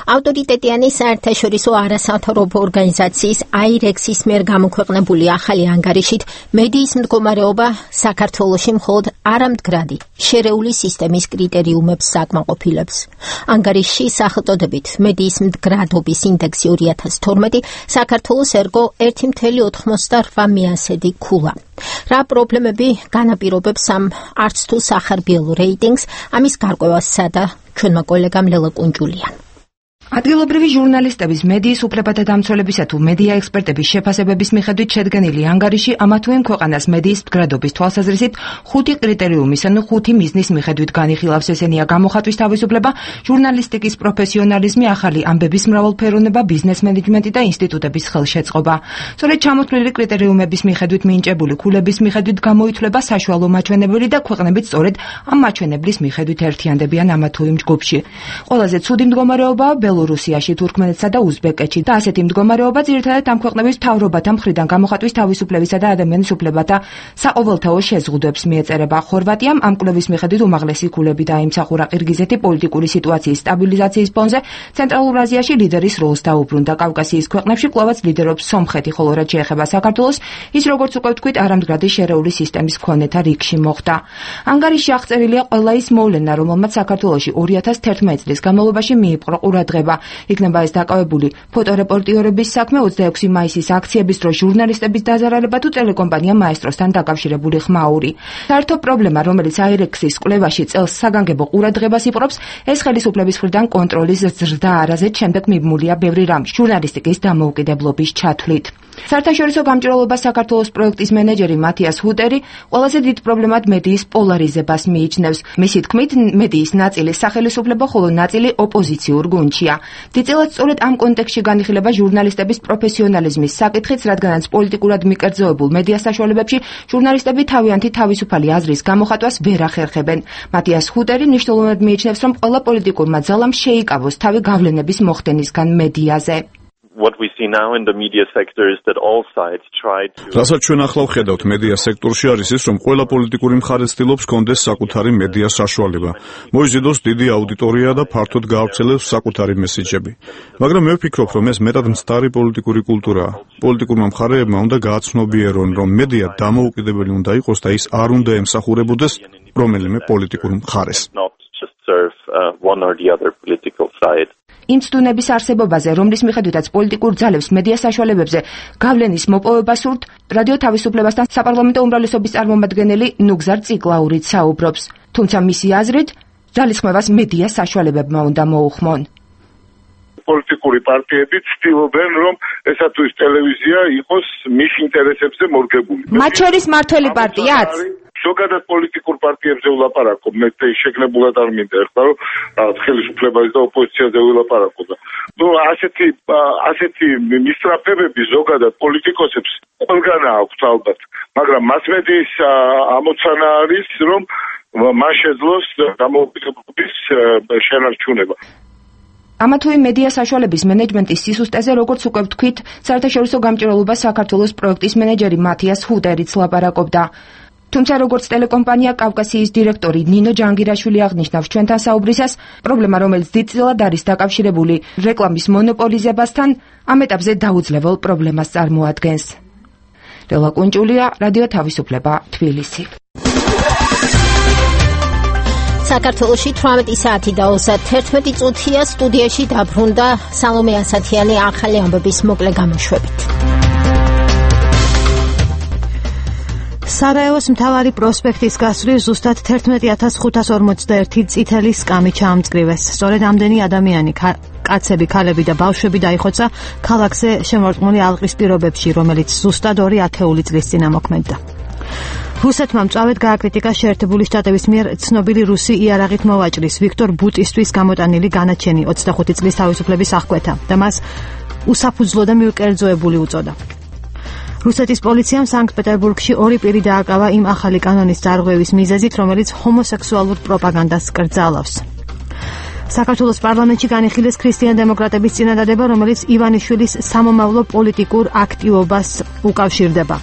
ავტორიტეტიანი საერთაშორისო არასამთავრობო ორგანიზაციის აირექსის მიერ გამოქვეყნებული ახალი ანგარიშით მედიის მდგომარეობა საქართველოში მხოლოდ არამდგრადი შერეული სისტემის კრიტერიუმებს საკმაყოფილებს. ანგარიშში სახელწოდებით მედიის მდგრადობის ინდექსი ორი ათას თორმეტი საქართველოს ერგო ერთი კoma ოთხმოცდარვა მიასედი ქულა. რა პრობლემები განაპირობებს ამ არც თუ სახარბიელ რეიტინგს, ამის გარკვევას სცადა ჩვენმა კოლეგამ ლელა კუნჯულია. ადგილობრივი ჟურნალისტების, მედიის უფლებათა დამცველებისა თუ მედია ექსპერტების შეფასებების მიხედვით შედგენილი ანგარიში ამა თუ იმ ქვეყანას მედიის მდგრადობის თვალსაზრისით ხუთი კრიტერიუმის, ანუ ხუთი მიზნის მიხედვით განიხილავს. ესენია გამოხატვის თავისუფლება, ჟურნალისტიკის პროფესიონალიზმი, ახალი ამბების მრავალფეროვნება, ბიზნეს მენეჯმენტი და ინსტიტუტების ხელშეწყობა. სწორედ ჩამოთვლილი კრიტერიუმების მიხედვით მინიჭებული ქულების მიხედვით გამოითვლება საშუალო მაჩვენებელი და ქვეყნებით სწორედ ამ მაჩვენებლის მიხედვით ერთიანდებიან ამა თუ იმ ჯგუფში. ყველაზე ცუდი მდგომარეობაა ბელორუსიაში, თურქმენეთსა და უზბეკეთში და ასეთი მდგომარეობა ძირითადად ამ ქვეყნების მთავრობათა მხრიდან გამოხატვის თავისუფლებისა და ადამიანის უფლებათა საყოველთაო შეზღუდვებს მიეწერება. ხორვატიამ ამ კვლევის მიხედვით უმაღლესი ქულები დაიმსახურა. ყირგიზეთი პოლიტიკური სიტუაციის სტაბილიზაციის ფონზე ცენტრალურ აზიაში ლიდერის როლს დაუბრუნდა. კავკასიის ქვეყნებში კვლავაც ლიდერობს სომხეთი, ხოლო რაც შეეხება საქართველოს, ის როგორც უკვე ვთქვით, არამდგრადი შერეული სისტემის მქონეთა რიგში მოხვდა. ანგარიშში აღწერილია ყველა ის მოვლენა, რომელმაც საქართველოში ორი ათას თერთმეტი წლის განმავლობაში მიიპყრო ყურადღება. იქნება ეს დაკავებული ფოტორეპორტიორების საქმე, ოცდაექვსი მაისის აქციების დროს ჟურნალისტების დაზარალება თუ ტელეკომპანია მაესტროსთან დაკავშირებული ხმაური. საერთო პრობლემა, რომელიც აირექსის კვლევაში წელს საგანგებო ყურადღებას იპყრობს, ეს ხელისუფლების მხრიდან კონტროლის ზრდა არაზეთ შემდეგ მიბმულია ბევრი რამ ჟურნალისტიკის დამოუკიდებლობის ჩათვლით. საერთაშორისო გამჭირვალობა საქართველოს პროექტის მენეჯერი მათიას ჰუტერი ყველაზე დიდ პრობლემად მედიის პოლარიზებას მიიჩნევს. მისი თქმით, მედიის ნაწილი სახელისუფლებო, ხოლო ნაწილი ოპოზიციურ გუნდშია. დიდწილად სწორედ ამ კონტექსტში განიხილება ჟურნალისტების პროფესიონალიზმის საკითხიც, რადგანაც პოლიტიკურად მიკერძოებულ მედია საშუალებებში ჟურნალისტები თავიანთი თავისუფალი აზრის გამოხატვას ვერ ახერხებენ. მათიას ჰუტერი მნიშვნელოვნად მიიჩნევს, რომ ყველა პოლიტიკურმა ძალამ შეიკავოს თავი გავლენების მოხდენისგან მედიაზე. What we see now in the media sector is that all sides try to რასაც ჩვენ ახლა ვხედავთ მედია სექტორში არის ის, რომ ყველა პოლიტიკური მხარე ცდილობს კონდეს საკუთარი მედია საშუალება. მოიზიდოს დიდი აუდიტორია და ფართოდ გაავრცელებს საკუთარი მესიჯები. მაგრამ მე ვფიქრობ, რომ ეს მეტად მცდარი პოლიტიკური კულტურაა. პოლიტიკურმა მხარეებმა უნდა გააცნობიერონ, რომ მედია დამოუკიდებელი უნდა იყოს და ის არ უნდა ემსახურებოდეს რომელიმე პოლიტიკურ მხარეს. serve uh, one or the other political side. იმ ცდუნების არსებობაზე, რომლის მიხედვითაც პოლიტიკურ ძალებს მედია საშუალებებზე გავლენის მოპოვება სურთ, რადიო თავისუფლებასთან საპარლამენტო უმრავლესობის წარმომადგენელი ნუგზარ ციკლაურიც საუბრობს. თუმცა მისი აზრით, ძალისხმევას მედია საშუალებებმა უნდა მოუხმონ. პოლიტიკური პარტიები ცდილობენ, რომ ესა თუ ის ტელევიზია იყოს მის ინტერესებზე მორგებული. მათ შორის მართველი პარტიაც ზოგადად პოლიტიკურ პარტიებზე ვლაპარაკობ, მე შეგნებულად არ მინდა ეხლა რომ რაღაც ხელისუფლებაზე და ოპოზიციაზე ვილაპარაკო და ნუ ასეთი ასეთი მისწრაფებები ზოგადად პოლიტიკოსებს ყველგან აქვს ალბათ, მაგრამ მასმედიის ამოცანა არის, რომ მან შეძლოს დამოუკიდებლობის შენარჩუნება. ამა თუ იმ მედია საშუალების მენეჯმენტის სისუსტეზე, როგორც უკვე ვთქვით, საერთაშორისო გამჭირვალობა საქართველოს პროექტის მენეჯერი მათიას ჰუტერიც ლაპარაკობდა. თუმცა როგორც ტელეკომპანია კავკასიის დირექტორი ნინო ჯანგირაშვილი აღნიშნავს ჩვენთან საუბრისას, პრობლემა, რომელიც დიდწილად არის დაკავშირებული რეკლამის მონოპოლიზებასთან, ამ ეტაპზე დაუძლებელ პრობლემას წარმოადგენს. რელა კუნჭულია, რადიო თავისუფლება, თბილისი. საქართველოში თვრამეტი საათი და ოცდაერთი წუთია, სტუდიაში დაბრუნდა სალომე ასათიანი ახალი ამბების მოკლე გამოშვებით. სარაევოს მთავარი პროსპექტის გასწვრივ ზუსტად თერთმეტი ათას ხუთას ორმოცდაერთი წითელი სკამი ჩაამწკრივეს. სწორედ ამდენი ადამიანი, კაცები, ქალები და ბავშვები დაიხოცა ქალაქზე შემორტყმული ალყის პირობებში, რომელიც ზუსტად ორი ათეული წლის წინ ამოქმედდა. რუსეთმა მწვავედ გააკრიტიკა შეერთებული შტატების მიერ ცნობილი რუსი იარაღით მოვაჭრის ვიქტორ ბუტისტვის გამოტანილი განაჩენი ოცდახუთი წლის თავისუფლების აღკვეთა და მას უსაფუძვლო და მიუკერძოებული უწოდა. რუსეთის პოლიციამ სანქტ-პეტერბურგში ორი პირი დააკავა იმ ახალი კანონის დარღვევის მიზეზით, რომელიც ჰომოსექსუალურ პროპაგანდას კრძალავს. საქართველოს პარლამენტში განიხილეს ქრისტიან-დემოკრატების წინადადება, რომელიც ივანიშვილის სამომავლო პოლიტიკურ აქტივობას უკავშირდება.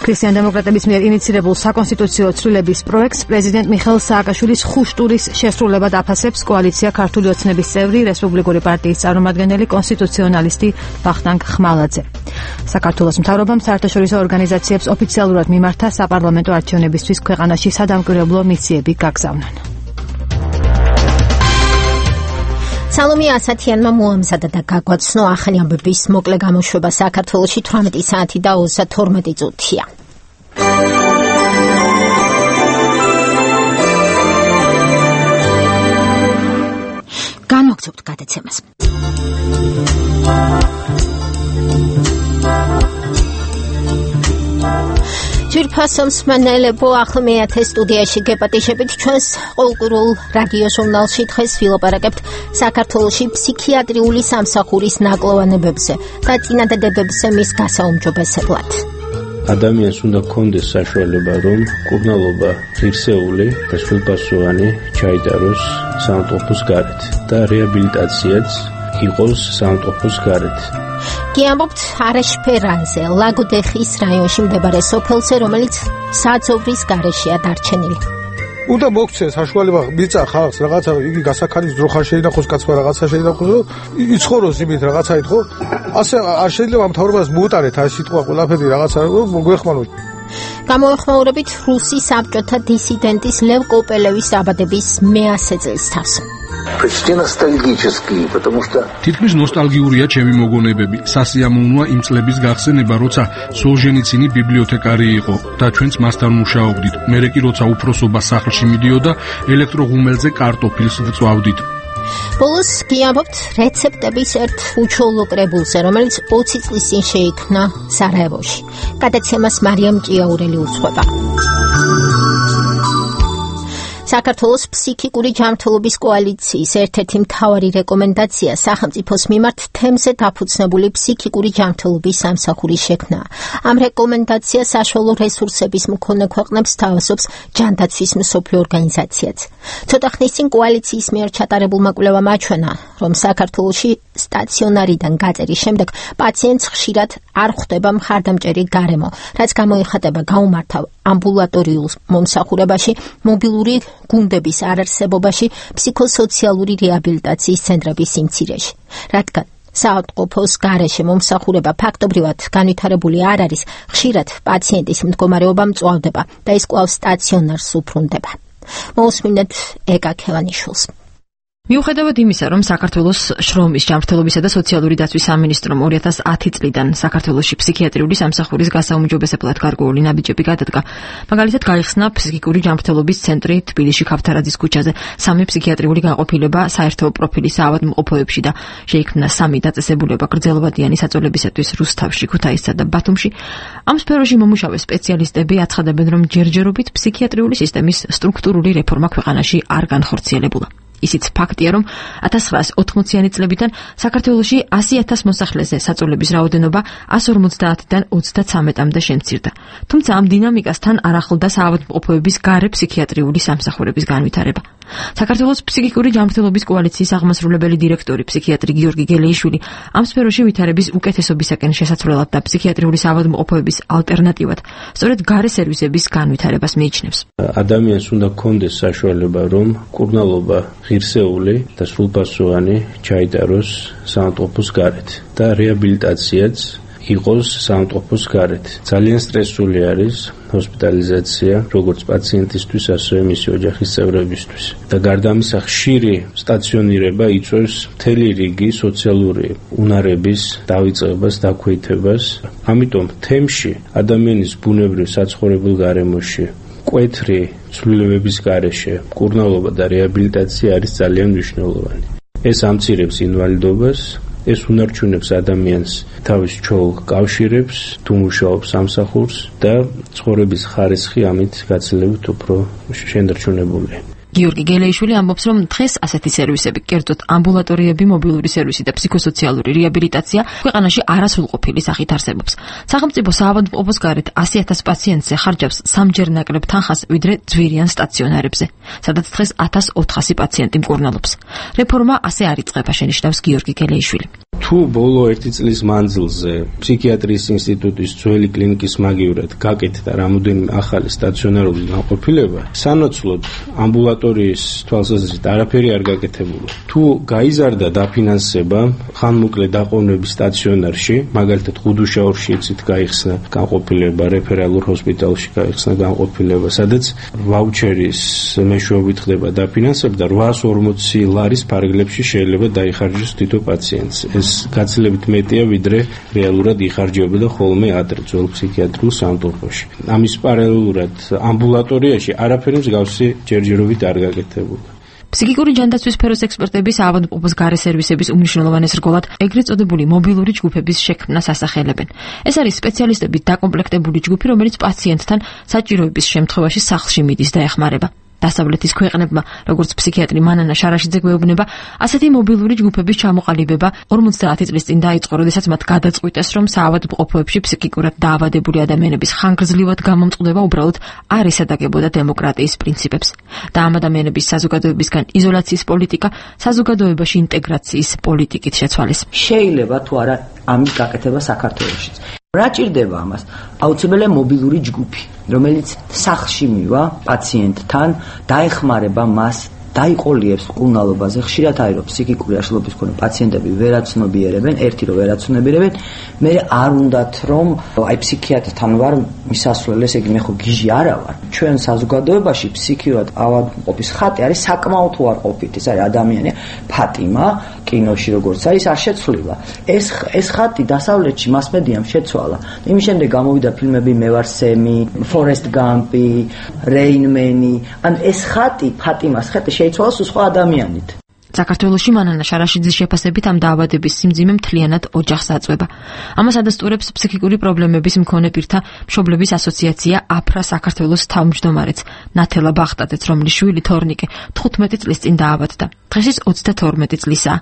ქრისტიან-დემოკრატების მიერ ინიცირებულ საკონსტიტუციო ცვლილების პროექტს პრეზიდენტ მიხეილ სააკაშვილის ხუშტურის შესრულებად აფასებს კოალიცია ქართული ოცნების წევრი რესპუბლიკური პარტიის წარმომადგენელი კონსტიტუციონალისტი ვახტანგ ხმალაძე. საქართველოს მთავრობამ საერთაშორისო ორგანიზაციებს ოფიციალურად მიმართა საპარლამენტო არჩევნებისთვის ქვეყანაში სადამკვირვებლო მისიები გაგზავნონ. სალომე ასათიანმა მოამზადა და გაგვაცნო ახალი ამბების მოკლე გამოშვება საქართველოში თვრამეტი საათი და ოცდათორმეტი წუთია. განვაგრძობთ გადაცემას. ჯირფასო მსმენელებო, ახლა მეათე სტუდიაში გეპატიჟებით ჩვენს ყოველკვირეულ რადიო ჟურნალში დღეს ვილაპარაკებთ საქართველოში ფსიქიატრიული სამსახურის ნაკლოვანებებზე და წინადადებებზე მის გასაუმჯობესებლად. ადამიანს უნდა ჰქონდეს საშუალება, რომ მკურნალობა ღირსეული და სრულპასუხიანი ჩაიტაროს საავადმყოფოს გარეთ და რეაბილიტაციაც იყოს საავადმყოფოს გარეთ. გიამბობთ არაშფერანზე, ლაგოდეხის რაიონში მდებარე სოფელზე, რომელიც საძოვრის გარეშეა დარჩენილი. უნდა მოგცეს საშუალება მიწა ხალხს რაღაცა იგი გასაქარის ძროხა შეინახოს, კაცმა რაღაცა შეინახოს, იცხოვროს იმით რაღაცაით, ხო? ასე არ შეიძლება მთავრობას მოუტარეთ აი სიტყვა ყველაფერი რაღაცა მოგვეხმაროთ. გამოეხმაურებით რუსი საბჭოთა დისიდენტის ლევ კოპელევის დაბადების მეასე წელსთავს. თითქმის ნოსტალგიურია ჩემი მოგონებები. სასიამოვნოა იმ წლების გახსენება, როცა სოლჟენიცინი ბიბლიოთეკარი იყო და ჩვენც მასთან მუშაობდით. მერე კი როცა უფროსობა სახლში მიდიოდა, ელექტროღუმელზე კარტოფილს ვწვავდით. ბოლოს გიამბობთ რეცეპტების ერთ უჩვეულო კრებულზე, რომელიც ოცი წლის წინ შეიქმნა სარაევოში. გადაცემას მარიამ ჭიაურელი უძღვება. საქართველოს ფსიქიკური ჯანმრთელობის კოალიციის ერთ-ერთი მთავარი რეკომენდაცია სახელმწიფოს მიმართ თემზე დაფუძნებული ფსიქიკური ჯანმრთელობის სამსახურის შექმნაა. ამ რეკომენდაციას საშუალო რესურსების მქონე ქვეყნებს თავაზობს ჯანდაცვის მსოფლიო ორგანიზაციაც. ცოტა ხნის წინ კოალიციის მიერ ჩატარებულმა კვლევამ აჩვენა, რომ საქართველოში სტაციონარიდან გაწერის შემდეგ პაციენტს ხშირად არ ხვდება მხარდამჭერი გარემო, რაც გამოიხატება გაუმართავ ამბულატორიულ მომსახურებაში, მობილური გუნდების არარსებობაში, ფსიქოსოციალური რეაბილიტაციის ცენტრების სიმცირეში. რადგან საავადმყოფოს გარეშე მომსახურება ფაქტობრივად განვითარებული არ არის, ხშირად პაციენტის მდგომარეობა მწვავდება და ის კვლავ სტაციონარს უბრუნდება. მოусმინეთ ეკა ქევანიშვილს. მიუხედავად იმისა, რომ საქართველოს შრომის, ჯანმრთელობისა და სოციალური დაცვის სამინისტრომ ორი ათას ათი წლიდან საქართველოში ფსიქიატრიული სამსახურის გასაუმჯობესებლად გარკვეული ნაბიჯები გადადგა, მაგალითად გაიხსნა ფსიქიკური ჯანმრთელობის ცენტრი თბილისში ქავთარაძის ქუჩაზე, სამი ფსიქიატრიული განყოფილება საერთო პროფილის საავადმყოფოებში და შეიქმნა სამი დაწესებულება გრძელვადიანი საწოლებისათვის რუსთავში, ქუთაისსა და ბათუმში. ამ სფეროში მომუშავე სპეციალისტები აცხადებენ, რომ ჯერჯერობით ფსიქიატრიული სისტემის სტრუქტურული რეფორმა ქვეყანაში არ განხორციელებულა. ისიც ფაქტია, რომ ათას ცხრაას ოთხმოციანი წლებიდან საქართველოში ასი ათას მოსახლეზე საწოლების რაოდენობა ას ორმოცდაათიდან ოცდაცამეტამდე შემცირდა. თუმცა ამ დინამიკასთან არ ახლდა საავადმყოფოების გარე ფსიქიატრიული სამსახურების განვითარება. საქართველოს ფსიქიკური ჯანმრთელობის კოალიციის აღმასრულებელი დირექტორი ფსიქიატრი გიორგი გელეიშვილი ამ სფეროში ვითარების უკეთესობისაკენ შესაძლებლად და ფსიქიატრიული საავადმყოფოების ალტერნატივად სწორედ გარე სერვისების განვითარებას მიიჩნევს. ადამიანს უნდა ჰქონდეს საშუალება, რომ მკურნალობა ღირსეული და სრულპასუხიანი ჩაიტაროს საავადმყოფოს გარეთ და რეაბილიტაციაც იყოს საავადმყოფოს გარეთ. ძალიან სტრესული არის ჰოსპიტალიზაცია როგორც პაციენტისთვის, ასევე მისი ოჯახის წევრებისთვის. და გარდა ამისა, ხშირი სტაციონირება იწვევს მთელი რიგი სოციალური უნარების დავიწყებას, დაქვეითებას. ამიტომ თემში ადამიანის ბუნებრივ საცხოვრებელ გარემოში კვეთრი ცვლილებების გარეშე მკურნალობა და რეაბილიტაცია არის ძალიან მნიშვნელოვანი. ეს ამცირებს ინვალიდობას, ეს უნარჩუნებს ადამიანს თავის ჩოლ კავშირებს, თუ მუშაობს სამსახურს და ცხოვრების ხარისხი ამით გაცილებით უფრო შენარჩუნებულია. გიორგი გელეიშვილი ამბობს, რომ დღეს ასეთი სერვისები, კერძოდ ამბულატორიები, მობილური სერვისი და ფსიქოსოციალური რეაბილიტაცია ქვეყანაში არასრულყოფილი სახით არსებობს. სახელმწიფო საავადმყოფოს გარეთ ასი ათას პაციენტზე ხარჯავს სამჯერ ნაკლებ თანხას, ვიდრე ძვირიან სტაციონარებზე, სადაც დღეს ათას ოთხასი პაციენტი მკურნალობს. რეფორმა ასე არ იწყება, შენიშნავს გიორგი გელეიშვილი. თუ ბოლო ერთი წლის მანძილზე ფსიქიატრიის ინსტიტუტის ძველი კლინიკის მაგივრად გაკეთდა რამოდენიმე ახალი სტაციონარული განყოფილება, სანაცვლოდ ამბულატორიის თვალსაზრისით არაფერი არ გაკეთებულა. თუ გაიზარდა დაფინანსება ხანმოკლე დაყოვნების სტაციონარში, მაგალითად ხუდუშაურში იცით გაიხსნა განყოფილება, რეფერალურ ჰოსპიტალში გაიხსნა განყოფილება, სადაც ვაუჩერის მეშვეობით ხდება დაფინანსება და რვაას ორმოცი ლარის ფარგლებში შეიძლება დაიხარჯოს თითო პაციენტს. ეს გაცილებით მეტია, ვიდრე რეალურად იხარჯებოდა ხოლმე ადრე ძველ ფსიქიატრიულ საავადმყოფოში. ამის პარალელურად ამბულატორიაში არაფერი მსგავსი ჯერჯერობით არ გაკეთებულა. ფსიქიკური ჯანდაცვის სფეროს ექსპერტები საავადმყოფოს გარე სერვისების უმნიშვნელოვანეს რგოლად ეგრეთ წოდებული მობილური ჯგუფების შექმნას ასახელებენ. ეს არის სპეციალისტებით დაკომპლექტებული ჯგუფი, რომელიც პაციენტთან საჭიროების შემთხვევაში სახლში მიდის და ეხმარება. დასავლეთის ქვეყნებმა, როგორც ფსიქიატრი მანანა შარაშიძე გვეუბნება, ასეთი მობილური ჯგუფების ჩამოყალიბება ორმოცდაათი წლის წინ დაიწყო, როდესაც მათ გადაწყვიტეს, რომ საავადმყოფოებში ფსიქიკურად დაავადებული ადამიანების ხანგრძლივად გამომწყდება უბრალოდ არ ესადაგებოდა დემოკრატიის პრინციპებს. და ამ ადამიანების საზოგადოებისგან იზოლაციის პოლიტიკა საზოგადოებაში ინტეგრაციის პოლიტიკით შეცვალეს. შეიძლება თუ არა ამის გაკეთება საქართველოშიც. რა ჭირდება ამას? აუცილებელია მობილური ჯგუფი, რომელიც სახლში მივა პაციენტთან, დაეხმარება მას, დაიყოლიებს მკურნალობაზე. ხშირად არის რომ ფსიქიკური აშლობის მქონე პაციენტები ვერაცნობიერებენ, ერთი რომ ვერაცნობიერებენ, მე არ უნდათ რომ აი ფსიქიატრთან ვარ მისასვლელი, ესე იგი მე ხო გიჟი არა ვარ. ჩვენ საზოგადოებაში ფსიქიურად ავადმყოფის ხატი არის საკმაოდ უარყოფითი. ეს არის ადამიანი ფატიმა, კინოში როგორც არის არ შეცვლილა. ეს ეს ხატი დასავლეთში მასმედიამ შეცვალა. იმის შემდეგ გამოვიდა ფილმები მე ვარ სემი, ფორესტ გამპი, რეინმენი. ან ეს ხატი ფატიმას ხატი შეიცვალა სხვა ადამიანით. საქართველოში მანანა შარაშიძის შეფასებით ამ დაავადების სიმძიმე მთლიანად ოჯახს აწვება. ამას ადასტურებს ფსიქიკური პრობლემების მქონე პირთა მშობლების ასოციაცია აფრა საქართველოს თავმჯდომარეც ნათელა ბახტაძეც, რომლის შვილი თორნიკე თხუთმეტი წლის წინ დაავადდა. დღეს ის ოცდათორმეტი წლისაა.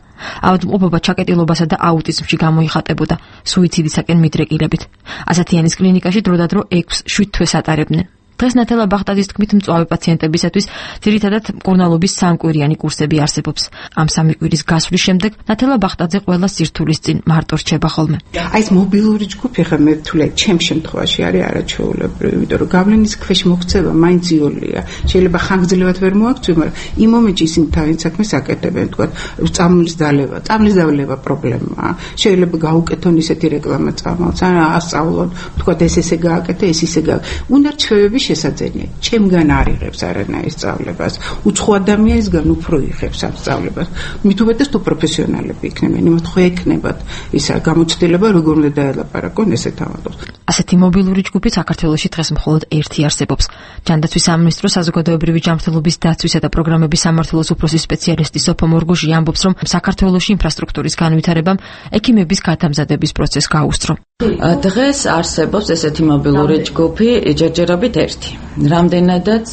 ავადმყოფობა ჩაკეტილობასა და აუტიზმში გამოიხატებოდა სუიციდისაკენ მიდრეკილებით. ასათიანის კლინიკაში დროდადრო ექვს-შვიდ თვეს ატარებდნენ. დღეს ნათელა ბახტაძის თქმით მწვავე პაციენტებისათვის ძირითადად მკურნალობის სამკვირიანი კურსები არსებობს. ამ სამი კვირის გასვლის შემდეგ ნათელა ბახტაძე ყველა სირთულის წინ მარტო რჩება ხოლმე. აი ეს მობილური ჯგუფი ხა მე თვლე ჩემ შემთხვევაში არის არაჩვეულებრივი, იმიტომ რომ გავლენის ქვეშ მოქცევა მაინც იოლია. შეიძლება ხანგრძლივად ვერ მოაქცევი, მაგრამ იმ მომენტში ისინი თავის საქმეს აკეთებენ, თქვა წამლის დალევა, წამლის დალევა პრობლემაა. შეიძლება გაუკეთონ ისეთი რეკლამა წამალს, ან ასწავლონ, თქვა ეს ესე გააკეთე, ეს ისე გააკეთე. უნდა რჩევები შესაძენია. ჩემგან არ იღებს არანაირ სწავლებას. უცხო ადამიანისგან უფრო იღებს ამ სწავლებას. მით უმეტეს თუ პროფესიონალები იქნებიან, იმათ ხო ეკნებათ ისა გამოცდილება როგორ უნდა დაელაპარაკონ ესეთ ამბავს. ასეთი მობილური ჯგუფი საქართველოში დღეს მხოლოდ ერთი არსებობს. ჯანდაცვის სამინისტროს საზოგადოებრივი ჯანმრთელობის დაცვისა და პროგრამების სამმართველოს უფროსის სპეციალისტი სოფო მორგუჟი ამბობს, რომ საქართველოში ინფრასტრუქტურის განვითარებამ ექიმების გადამზადების პროცესს გაუსწრო. დღეს არსებობს ესეთი მობილური ჯგუფი ჯერჯერობით ერთი. რამდენადაც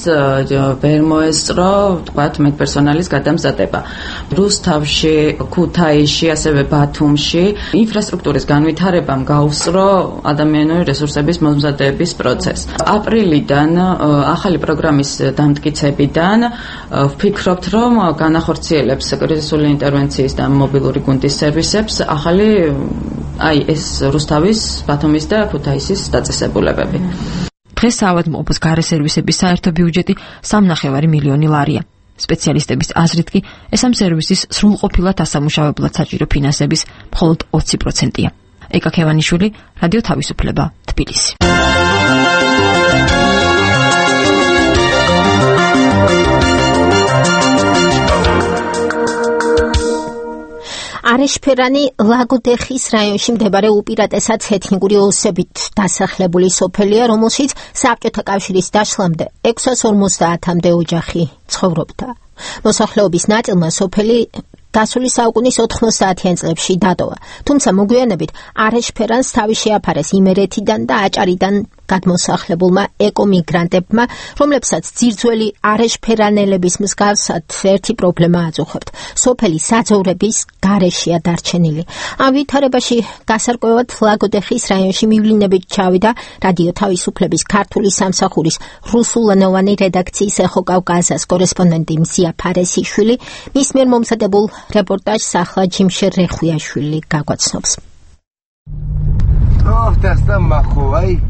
ვერ მოესწრო, თქვათ, მედპერსონალის გადამზადება. რუსთავში, ქუთაისში, ასევე ბათუმში ინფრასტრუქტურის განვითარებამ გაუსწრო ადამიანური რესურსების მომზადების პროცესს. აპრილიდან ახალი პროგრამის დამტკიცებიდან ვფიქრობთ, რომ განახორციელებს კრიზისული ინტერვენციის და მობილური გუნდის სერვისებს ახალი აი ეს რუსთავის, ბათუმის და ქუთაისის დაწესებულებები. დღეს საავადმყოფოს გარე სერვისების საერთო ბიუჯეტი სამნახევარი მილიონი ლარია. სპეციალისტების აზრით კი ეს ამ სერვისის სრულყოფილად ასამუშავებლად საჭირო ფინანსების მხოლოდ ოცი პროცენტია. ეკა ქევანიშვილი, რადიო თავისუფლება, თბილისი. არეშფერანი ლაგოდეხის რაიონში მდებარე უპირატესად ეთნიკური ოსებით დასახლებული სოფელია, რომელშიც საბჭოთა კავშირის დაშლამდე ექვსი ათას ორმოცდაათამდე ოჯახი ცხოვრობდა. მოსახლეობის ნაწილმა სოფელი გასული საუკუნის ოთხმოცდაათიან წლებში დატოვა, თუმცა მოგვიანებით არეშფერანს თავი შეაფარეს იმერეთიდან და აჭარიდან გადმოსახლებულმა ეკომიგრანტებმა, რომლებსაც ძირძველი არეშფერანელების მსგავსად ერთი პრობლემა აწუხებთ. სოფელი საძოვრების გარეშეა დარჩენილი. ამ ვითარებაში გასარკვევად ლაგოდეხის რაიონში მივლინებით ჩავიდა რადიო თავისუფლების ქართული სამსახურის რუსულენოვანი რედაქციის ეხო-კავკასიის კორესპონდენტი მზია ფარესიშვილი, მის მიერ მომზადებულ რეპორტაჟს ახლა ჯიმშერ რეხვიაშვილი გაგვაცნობს.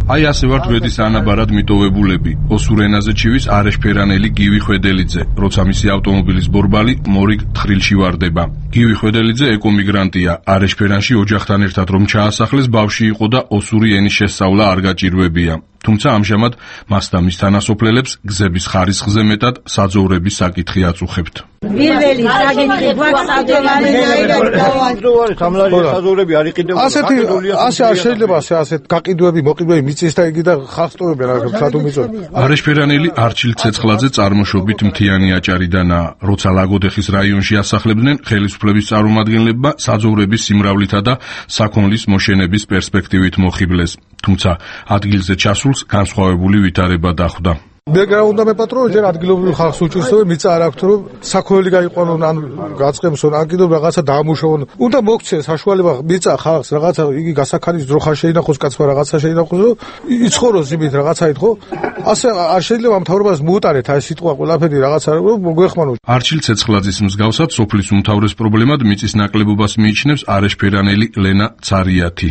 აი ასე ვართ გვერდის ანაბარად მიტოვებულები. ოსურ ენაზე ჩივის არეშფერანელი გივი ხვედელიძე, როცა მისი ავტომობილის ბორბალი მორიგ თხრილში ვარდება. გივი ხვედელიძე ეკომიგრანტია. არეშფერანში ოჯახთან ერთად რომ ჩაასახლეს, ბავში იყო და osuri ენის შესწავლა არ გაჭირვებია. თუმცა ამჟამად მას და მის თანასოფლელებს გზების ხარისხზე მეტად საძოვრების საკითხი აწუხებთ. პირველი საკითხი გვაქვს საძოვრები არ იყიდებოდა. ასეთი ასე არ შეიძლება ასე ასეთ გაყიდვები, მოყიდვები მიწის და იგი და ხახტოვებენ რა სათუ მიწო. არეშფერანელი არჩილ ცეცხლაძე წარმოშობით მთიანი აჭარიდანაა. როცა ლაგოდეხის რაიონში ასახლებდნენ, ხელისუფლების წარმომადგენლებმა საძოვრების სიმრავლითა და საქონლის მოშენების პერსპექტივით მოხიბლეს. თუმცა ადგილზე ჩასულს განსხვავებული ვითარება დახვდა. მე უნდა მეპატრო ჯერ ადგილობრივ ხალხს უჭირს რომ მიწა არ აქვს რომ საქონელი გაიყვანონ ან გაწყემსონ ან კიდევ რაღაცა დაამუშავონ. უნდა მოქცეს საშუალება მიწა ხალხს რაღაცა იგი გასაქარის ძროხა შეინახოს კაცმა რაღაცა შეინახოს რომ იცხოვროს იმით რაღაცაით ხო? ასე არ შეიძლება მთავრობას მოუტარეთ აი სიტყვა ყველაფერი რაღაცა რომ მოგვეხმაროთ. არჩილ ცეცხლაძის მსგავსად სოფლის უმთავრეს პრობლემად მიწის ნაკლებობას მიიჩნევს არეშფერანელი ლენა ცარიათი.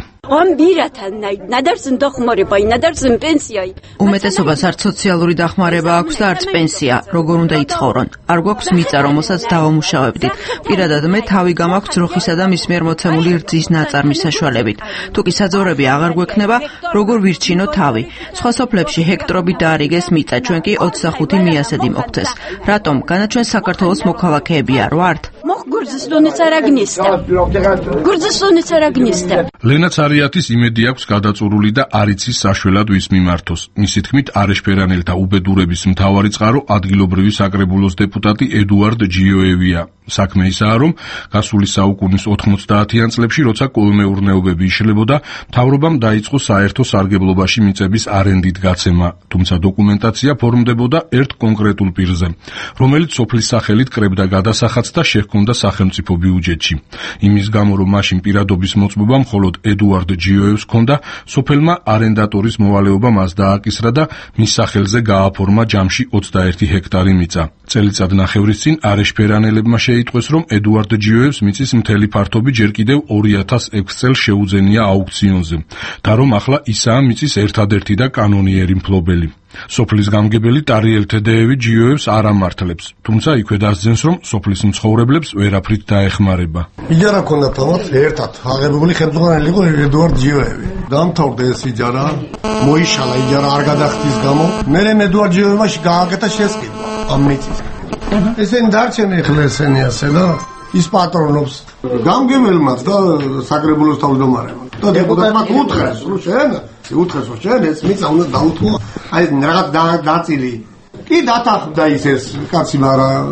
უმეტესობას არც სოციალური დახმარება აქვს და არც პენსია, როგორ უნდა იცხოვრონ. არ გვაქვს მიწა, რომელსაც დავამუშავებდით. პირადად მე თავი გამაქვს ძროხისა და მის მიერ მოცემული რძის ნაწარმის საშუალებით. თუ კი საძოვრები აღარ გვექნება, როგორ ვირჩინო თავი? სხვა სოფლებში ჰექტრობით დაარიგეს მიწა, ჩვენ კი ოცდახუთი მიასედი მოგცეს. რატომ? განაჩვენ საქართველოს მოქალაქეები არ ვართ? ლენა ცარიათი ორიათის იმედი აქვს გადაწურული და არ იცის საშველად ვის მიმართოს. მისი თქმით, არეშფერანელთა უბედურების მთავარი წყარო ადგილობრივი საკრებულოს დეპუტატი ედუარდ ჯიოევია. საქმე ისაა, რომ გასული საუკუნის ოთხმოცდაათიან წლებში, როცა კოლმეურნეობები იშლებოდა, მთავრობამ დაიწყო საერთო სარგებლობაში მიწების არენდით გაცემა, თუმცა დოკუმენტაცია ფორმდებოდა ერთ კონკრეტულ პირზე, რომელიც სოფლის სახელით კრებდა გადასახადს და შეჰქონდა სახელმწიფო ბიუჯეტში. იმის გამო, რომ მაშინ პირადობის მოწმობა მხოლოდ ედუარდ ჯიოევს ჰქონდა, სოფელმა არენდატორის მოვალეობა მას დააკისრა და მის სახელზე გააფორმა ჯამში ოცდაერთი ჰექტარი მიწა. წელიწად ნახევრის წინ არეშფერანელებმა შეიტყვეს, რომ ედუარდ ჯიოევს მიწის მთელი ფართობი ჯერ კიდევ ორი ათას ექვს წელს შეუძენია აუქციონზე და რომ ახლა ისაა მიწის ერთადერთი და კანონიერი მფლობელი. სოფლის გამგებელი ტარიელ თედეევი ჯიოევს არ ამართლებს, თუმცა იქვე დასძენს, რომ სოფლის მცხოვრებლებს ვერაფრით დაეხმარება. იჯარა ქონდა თამაც ერთად აღებული ხელმძღვანელი იყო ედუარდ ჯიოევი. დამთავრდა ეს იჯარა, მოიშალა იჯარა არ გადახდის გამო. მერე ედუარდ ჯიოევაში გააკეთა შესყიდვა ამ მიწის. ესენი დარჩენ ეხლა ესენი ასე და ის პატრონობს გამგებელმაც და საკრებულოს თავმჯდომარემ. და დეპუტატმა უთხრეს, რომ შენ, უთხრეს, რომ შენ ეს მიწა უნდა დაუთმო. აი რაღაც დაწილი. კი დათანხმდა ის ეს კაცი, მაგრამ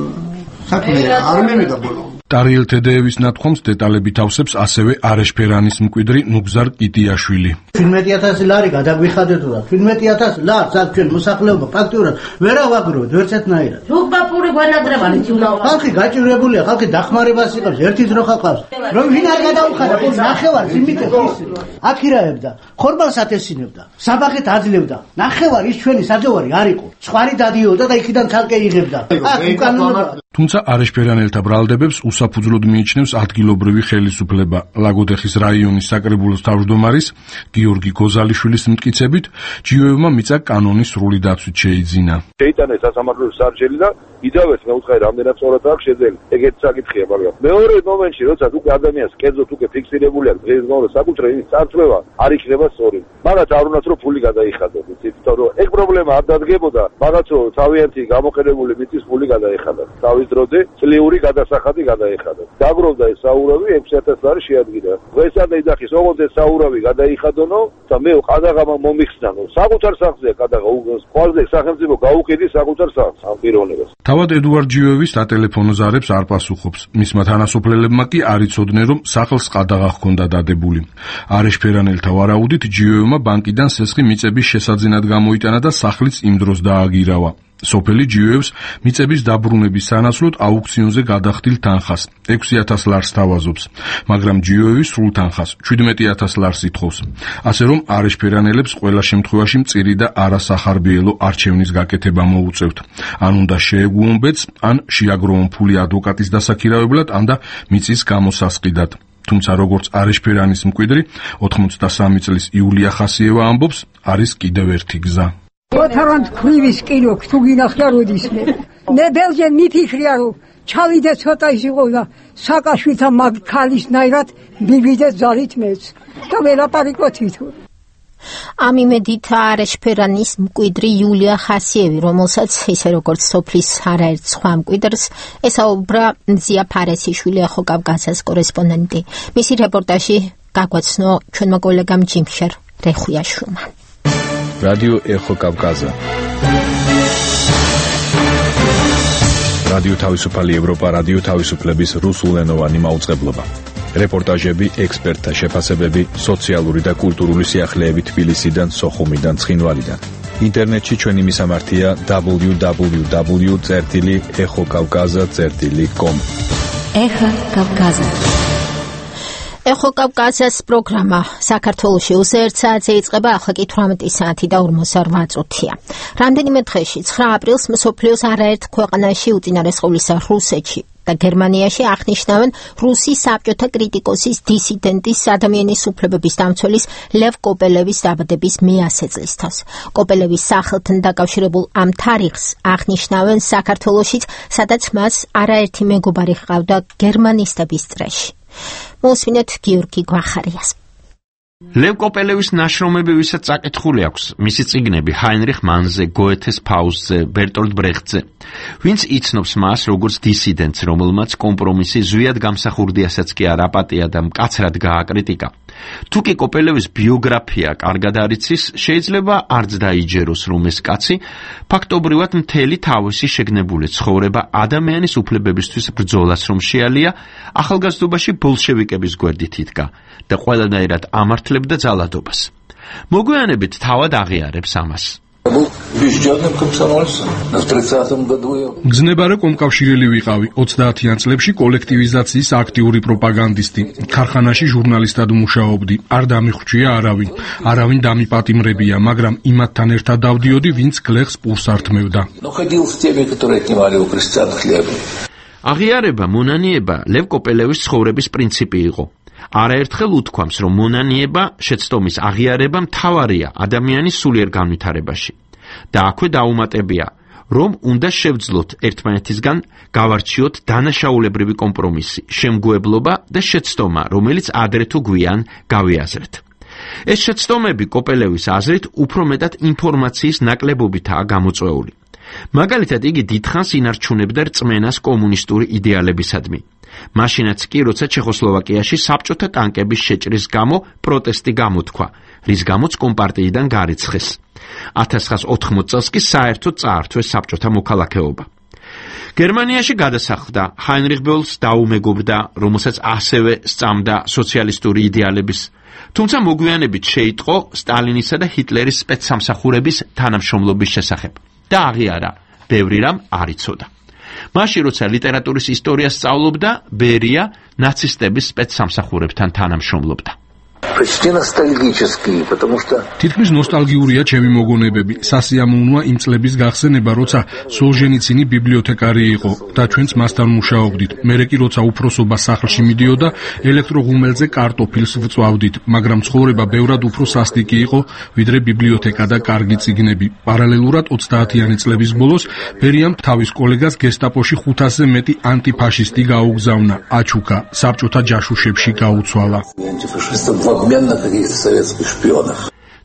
საქმე არ მივიდა ბოლო. ტარიელ თედეევის ნათქვამს დეტალებით ავსებს ასევე არეშფერანის მკვიდრი ნუგზარ კიტიაშვილი. შვიდმეტი ათასი ლარი გადაგვიხადეთ რა. შვიდმეტი ათასი ლარს აქ ჩვენ მოსახლეობა ფაქტურად ვერ ავაგროვეთ ვერც ერთნაირად. რუბაპური გვანაგრებანი თულა. ხალხი გაჭირებულია, ხალხი დახმარებას იყავს, ერთი ძრო ხალხს. რომ ვინ არ გადაუხადა, ნახევარ იმიტებს ის. აქირაებდა, ხორბალს ათესინებდა, საბახეთ აძლევდა. ნახევარ ის ჩვენი საძოვარი არ იყო. სხვარი დადიოდა და იქიდან ცალკე იღებდა. აქ უკანონობა. თუმცა არეშფერანელთა ბრალდებებს უსაფუძვლოდ მიიჩნევს ადგილობრივი ხელისუფლება. ლაგოდეხის რაიონის საკრებულოს თავმჯდომარის გიორგი გოზალიშვილის მტკიცებით, ჯიოევმა მიწა კანონის სრული დაცვით შეიძინა. შეიტანეს სასამართლოს სარჩელი და იდავეს მეუთხარი რამდენად სწორად აქვს შეძელი. ეგეთი საკითხია, მაგრამ მეორე მომენტში, როცა უკვე ადამიანს კერძოდ უკვე ფიქსირებული აქვს დღესდღეობით საკუთრე იმის წარწმევა არ იქნება სწორი. მაგათ არ უნდათ რომ ფული გადაიხადოს, იმიტომ რომ ეგ პრობლემა არ დადგებოდა, მაგათ რომ თავიანთი გამოყენებული მიწის ფული გადაიხადა. თავის დროზე წლიური გადასახადი გადაიხადა. დაგროვდა ეს საურავი ექვსი ათას ლარი შეადგინა. დღესაც ეძახის ოღონდ ეს საურავი გადაიხადონო და მე ყადაღამა მომიხსნანო. საკუთარ სახზე ყადაღა ყველაზე სახელმწიფო გაუყიდი საკუთარ სახს ამ პიროვნებას. თავად ედუარდ ჯიოევის სატელეფონო ზარებს არ პასუხობს. მისმა თანასოფლელებმა კი არ იცოდნენ, რომ სახლს ყადაღა ჰქონდა დადებული. არეშფერანელთა ვარაუდით ჯიოევმა ბანკიდან სესხი მიწების შესაძენად გამოიტანა და სახლიც იმ დროს დააგირავა. სოფელი ჯიოევს მიწების დაბრუნების სანაცვლოდ აუქციონზე გადახდილ თანხას ექვსი ათას ლარს თავაზობს, მაგრამ ჯიოევი სრულ თანხას შვიდმეტი ათას ლარს ითხოვს. ასე რომ არეშფერანელებს ყველა შემთხვევაში მწირი და არასახარბიელო არჩევნის გაკეთება მოუწევთ. ან უნდა შეეგუონ ბედს, ან შეაგროვონ ფული ადვოკატის დასაქირავებლად, ან და მიწის გამოსასყიდად. თუმცა როგორც არეშფერანის მკვიდრი ოთხმოცდასამი წლის იულია ხასიევა ამბობს, არის კიდევ ერთი გზა. ოთარანთ ქრივის კინო თუ გინახია როდის მე მე ბელჯენ მიფიქრია რომ ჩავიდე ცოტა ისიყო და საკაშვილთან მაგ ქალისნაირად მივიდე ძალით მეც და ველაპარაკოთ თვითონ. ამ იმედით არეშფერანის მკვიდრი იულია ხასიევი, რომელსაც ისე როგორც სოფლის არაერთ სხვა მკვიდრს ესაუბრა მზია ფარესიშვილი ახალკავკასიის კორესპონდენტი. მისი რეპორტაჟი გაგვაცნო ჩვენმა კოლეგამ ჯიმშერ რეხუიაშვილმა. რადიო ეხო კავკაზა. რადიო თავისუფალი ევროპა, რადიო თავისუფლების რუსულენოვანი მაუწყებლობა. რეპორტაჟები, ექსპერტთა შეფასებები, სოციალური და კულტურული სიახლეები თბილისიდან, სოხუმიდან, ცხინვალიდან. ინტერნეტში ჩვენი მისამართია დაბლიუ დაბლიუ დაბლიუ წერტილი ეხო კავკაზა წერტილი კომ. ეხო კავკაზა. ეხო კავკაზას პროგრამა საქართველოში უზერთ საათზე იწყება, ახლა კი თვრამეტი საათი და ორმოცდაორ წუთია. რამდენიმე დღეში ცხრა აპრილს მსოფლიოს არაერთ ქვეყანაში უწინარესყავლისა რუსეთში და გერმანიაში აღნიშნავენ რუსი საბჭოთა კრიტიკოსის, დისიდენტის, ადამიანის უფლებების დამცველის ლევ კოპელევის დაბადების მეათე წლისთავს. კოპელევის სახელთან დაკავშირებულ ამ თარიღს აღნიშნავენ საქართველოშიც, სადაც მას არაერთი მეგობარი ჰყავდა გერმანისტების წრეში. მოსმინეთ გიორგი გვახარიას. ლევ კოპელევის ნაშრომები ვისაც წაკითხული აქვს, მისი წიგნები ჰაინრიხ მანზე, გოეთეს ფაუსტზე, ბერტოლდ ბრეხტზე. ვინც იცნობს მას როგორც დისიდენტს, რომელმაც კომპრომისი ზვიად გამსახურდიასაც კი არ აპატია და მკაცრად გააკრიტიკა, თუ კი კოპელევის ბიოგრაფია კარგად არიცის, შეიძლება არც დაიჯეროს, რომ ეს კაცი ფაქტობრივად მთელი თავისი შეგნებული ცხოვრება ადამიანის უფლებებისთვის ბრძოლას რომ შეალია, ახალგაზრდობაში ბოლშევიკების გვერდით იდგა და ყველანაირად ამართლებდა ძალადობას. მოგვიანებით თავად აღიარებს ამას. გზნებარე კომკავშირელი ვიყავი, ოცდაათიან წლებში კოლექტივიზაციის აქტიური პროპაგანდისტი. ქარხანაში ჟურნალისტად მუშაობდი. არ დამიხვჭია არავინ, არავინ დამიპატიმრებია, მაგრამ იმათთან ერთად დავდიოდი, ვინც გლეხს პურს ართმევდა. აღიარება, მონანიება ლევ კოპელევის ცხოვრების პრინციპი იყო. არაერთხელ უთქვამს, რომ მონანიება, შეცდომის აღიარება მთავარია ადამიანის სულიერ განვითარებაში. და აქვე დაუმატებია, რომ უნდა შევძლოთ ერთმანეთისგან, გავარჩიოთ დანაშაულებრივი კომპრომისი, შემგუებლობა და შეცდომა, რომელიც ადრე თუ გვიან გავიაზრეთ. ეს შეცდომები კოპელევის აზრით უფრო მეტად ინფორმაციის ნაკლებობითაა გამოწვეული. მაგალითად, იგი დიდხანს ინარჩუნებდა რწმენას კომუნისტური იდეალებისადმი. მაშინაც კი, როცა ჩეხოსლოვაკიაში საბჭოთა ტანკების შეჭრის გამო პროტესტი გამოთქვა, რის გამოც კომპარტიიდან გარიცხეს. ათას ცხრაას ოთხმოცი წელს კი საერთოდ წაართვეს საბჭოთა მოქალაქეობა. გერმანიაში გადასახლდა, ჰაინრიხ ბოლს დაუმეგობრდა, რომელსაც ასევე სწამდა სოციალისტური იდეალების, თუმცა მოგვიანებით შეიტყო სტალინისა და ჰიტლერის სპეცსამსახურების თანამშრომლობის შესახებ და აღიარა, ბევრი რამ არ იცოდა. მაშინ, როცა ლიტერატურის ისტორიას სწავლობდა, ბერია ნაცისტების სპეცსამსახურებთან თანამშრომლობდა. თითქმის ნოსტალგიურია ჩემი მოგონებები. სასიამოვნოა იმ წლების გახსენება, როცა სოლჟენიცინი ბიბლიოთეკარი იყო და ჩვენც მასთან მუშაობდით. მერე კი როცა უფროსობა სახლში მიდიოდა, ელექტროღუმელზე კარტოფილს ვწვავდით, მაგრამ ცხოვრება ბევრად უფრო სასტიკი იყო, ვიდრე ბიბლიოთეკა და კარგი წიგნები. პარალელურად ოცდაათიანი წლების ბოლოს ბერიამ თავის კოლეგას გესტაპოში ხუთასზე მეტი ანტიფაშისტი გაუგზავნა, აჩუქა, საბჭოთა ჯაშუშებში გაუცვალა.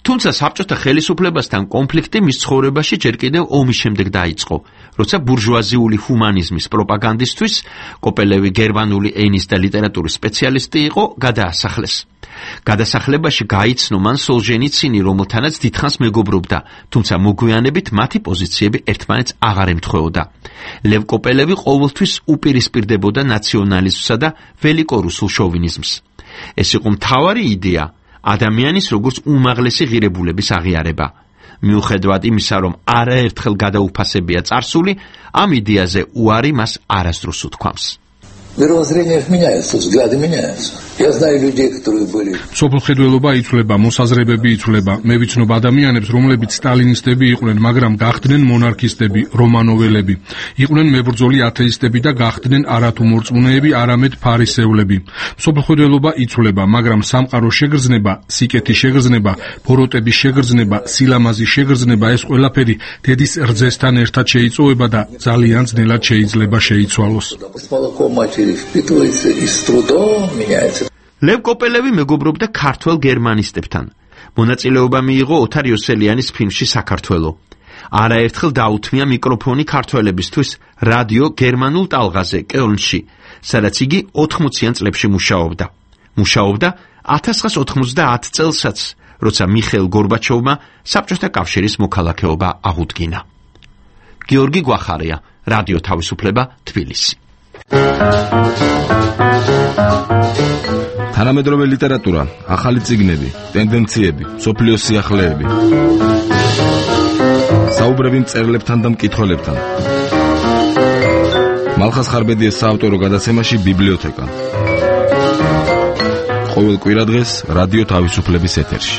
თუმცა საბჭოთა ხელისუფლებასთან კონფლიქტი მის ცხოვრებაში ჯერ კიდევ ომის შემდეგ დაიწყო, როცა ბურჟუაზიული ჰუმანიზმის პროპაგანდისტვის, კოპელევი გერმანული ენის და ლიტერატურის სპეციალისტი იყო, გადაასახლეს. გადასახლებაში გაიცნო მან სოლჟენიცინი, რომელთანაც დიდხანს მეგობრობდა, თუმცა მოგვიანებით მათი პოზიციები ერთმანეთს აღარ ემთხვეოდა. ლევ კოპელევი ყოველთვის უპირისპირდებოდა ნაციონალიზმსა და ველიკორუსულ შოვინიზმს. ეს იყო მთავარი იდეა, ადამიანის როგორც უმაღლესი ღირებულების აღიარება. მიუხედავად იმისა, რომ არაერთხელ გადაუფასებია წარსული, ამ იდეაზე უარი მას არასდროს უთქვამს. სოფლმხედველობა იცვლება, მოსაზრებები იცვლება. მე ვიცნობ ადამიანებს, რომლებიც სტალინისტები იყვნენ, მაგრამ გახდნენ მონარქისტები, რომანოველები. იყვნენ მებრძოლი ათეისტები და გახდნენ არათუ მორწმუნეები, არამედ ფარისევლები. სოფლმხედველობა იცვლება, მაგრამ სამყაროს შეგრძნება, სიკეთის შეგრძნება, ბოროტების შეგრძნება, სილამაზის შეგრძნება, ეს ყველაფერი დედის რძესთან ერთად შეიწოვება და ძალიან ძნელად შეიძლება შეიცვალოს. ლევ კოპელევი მეგობრობდა ქართველ გერმანისტებთან. მონაწილეობა მიიღო ოთარ იოსელიანის ფილმში საქართველო. არაერთხელ დაუთმია მიკროფონი ქართველებისთვის რადიო გერმანულ ტალღაზე კელნში, სადაც იგი ოთხმოციან წლებში მუშაობდა. მუშაობდა ათას ცხრაას ოთხმოცდაათ წელსაც, როცა მიხეილ გორბაჩოვმა საბჭოთა კავშირის მოქალაქეობა აღუდგინა. გიორგი გვახარია, რადიო თავისუფლება, თბილისი. თანამედროვე ლიტერატურა, ახალი წიგნები, ტენდენციები, სოფლიოს სიახლეები. საუბრები მწერლებთან და მკითხველებთან. მალხას ხარბედიას საავტორო გადაცემაში ბიბლიოთეკა. ყოველ კვირადღეს რადიო თავისუფლების ეთერში.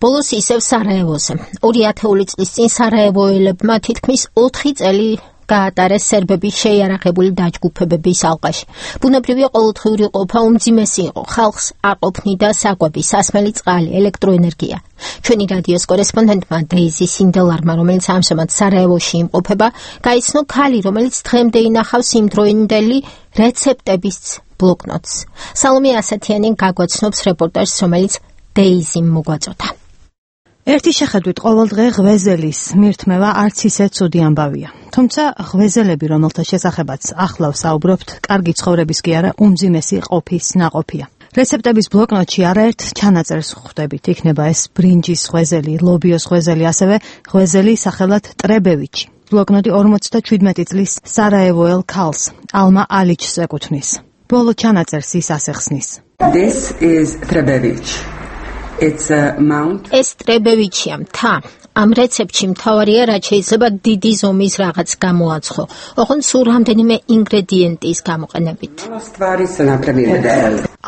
ბოლოს ისევ სარაევოზე. ორი ათეული წლის წინ სარაევოელებმა თითქმის ოთხი წელი გაატარეს სერბების შეიარაღებული დაჯგუფებების ალყაში. ბუნებრივი ყოველდღიური ყოფა უმძიმესი იყო. ხალხს აყოფნიდა საკვები, სასმელი წყალი, ელექტროენერგია. ჩვენი რადიოს კორესპონდენტმა დეიზი სინდელარმა, რომელიც ამჟამად სარაევოში იმყოფება, გაიცნო ქალი, რომელიც დღემდე ინახავს იმდროინდელი რეცეპტების ბლოკნოტს. სალომე ასათიანი გაგვაცნობს რეპორტაჟს, რომელიც დეიზიმ მოგვაწოდა. ერთი შეხედვით ყოველდღე ღვეზელის მირთმევა არც ისე ცუდი ამბავია. თუმცა ღვეზელები, რომელთა შესახებაც ახლავ საუბრობთ, კარგი ცხოვრების კი არა, უმძიმესი ყოფის ნაყოფია. რეცეპტების ბლოკნოტში არაერთ ჩანაწერს ხვდებით. იქნება ეს ბრინჯის ღვეზელი, ლობიოს ღვეზელი, ასევე ღვეზელი სახელად ტრებევიჩი. ბლოკნოტი ორმოცდაჩვიდმეტი წლის სარაევოელ ქალს, ალმა ალიჩს ეკუთვნის. ბოლო ჩანაწერს ის ასეხსნის. This is Trebevich. It's a mount. ეს ტრებევიჩია მთა. ამ რეცეპტში მთავარია, რაც შეიძლება დიდი ზომის რაღაც გამოაცხო. ოღონდ სულ რამდენიმე ინგრედიენტის გამოყენებით.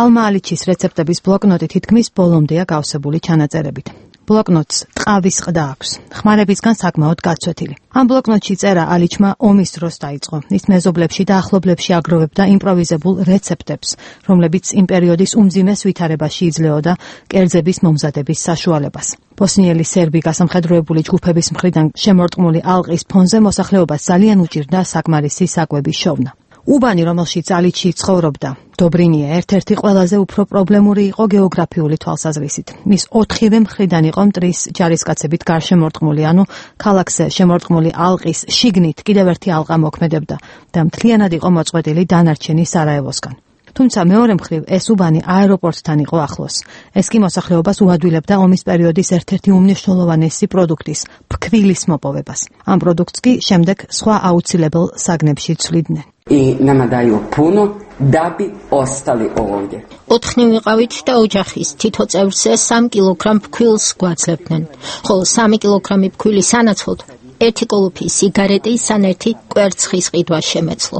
ალმა ალიჩის რეცეპტების ბლოკნოტი თითქმის ბოლომდეა გავსებული ჩანაწერებით. ბლოკნოტს ტყავის ყდა აქვს, ხმარებისგან საკმაოდ გაცვეთილი. ამ ბლოკნოტში წერა ალიჩმა ომის დროს დაიწყო. ის მეზობლებში და ახლობლებში აგროვებდა იმპროვიზებულ რეცეპტებს, რომლებიც იმ პერიოდის უმძიმეს ვითარებაში იძლეოდა კერძების მომზადების საშუალებას. ბოსნიელი სერბი გასამხედროებული ჯგუფების მხრიდან შემორტყმული ალყის ფონზე მოსახლეობას ძალიან უჭირდა საკმარისი საკვების შოვნა. უბანი, რომელშიც ალიჩი ცხოვრობდა, დობრინია, ერთ-ერთი ყველაზე უფრო პრობლემური იყო გეოგრაფიული თვალსაზრისით. მის ოთხივე მხრიდან იყო მტრის ჯარისკაცებით გარშემორტყმული, ანუ ქალაქზე შემორტყმული ალყის შიგნით კიდევ ერთი ალყა მოქმედებდა და მთლიანად იყო მოწყვეტილი დანარჩენი სარაევოსგან. თუმცა მეორე მხრივ ეს უბანი აეროპორტთან იყო ახლოს. ეს კი მოსახლეობას უადვილებდა ომის პერიოდის ერთ-ერთი უმნიშვნელოვანესი პროდუქტის, ფქვილის მოპოვებას. ამ პროდუქტს კი შემდეგ სხვა აუცილებელ საგნებში ცვლიდნენ. I nama daju puno da bi ostali ovdje. ოთხნი ვიყავით და ოჯახის თითო წევრზე სამი კილოგრამ ფქვილს გვაძლევდნენ. ხოლო სამი კილოგრამი ფქვილი სანაცვლოდ ერთი კოლოფი სიგარეტი, სან ერთი კვერცხის ყიდვა შემეცლო.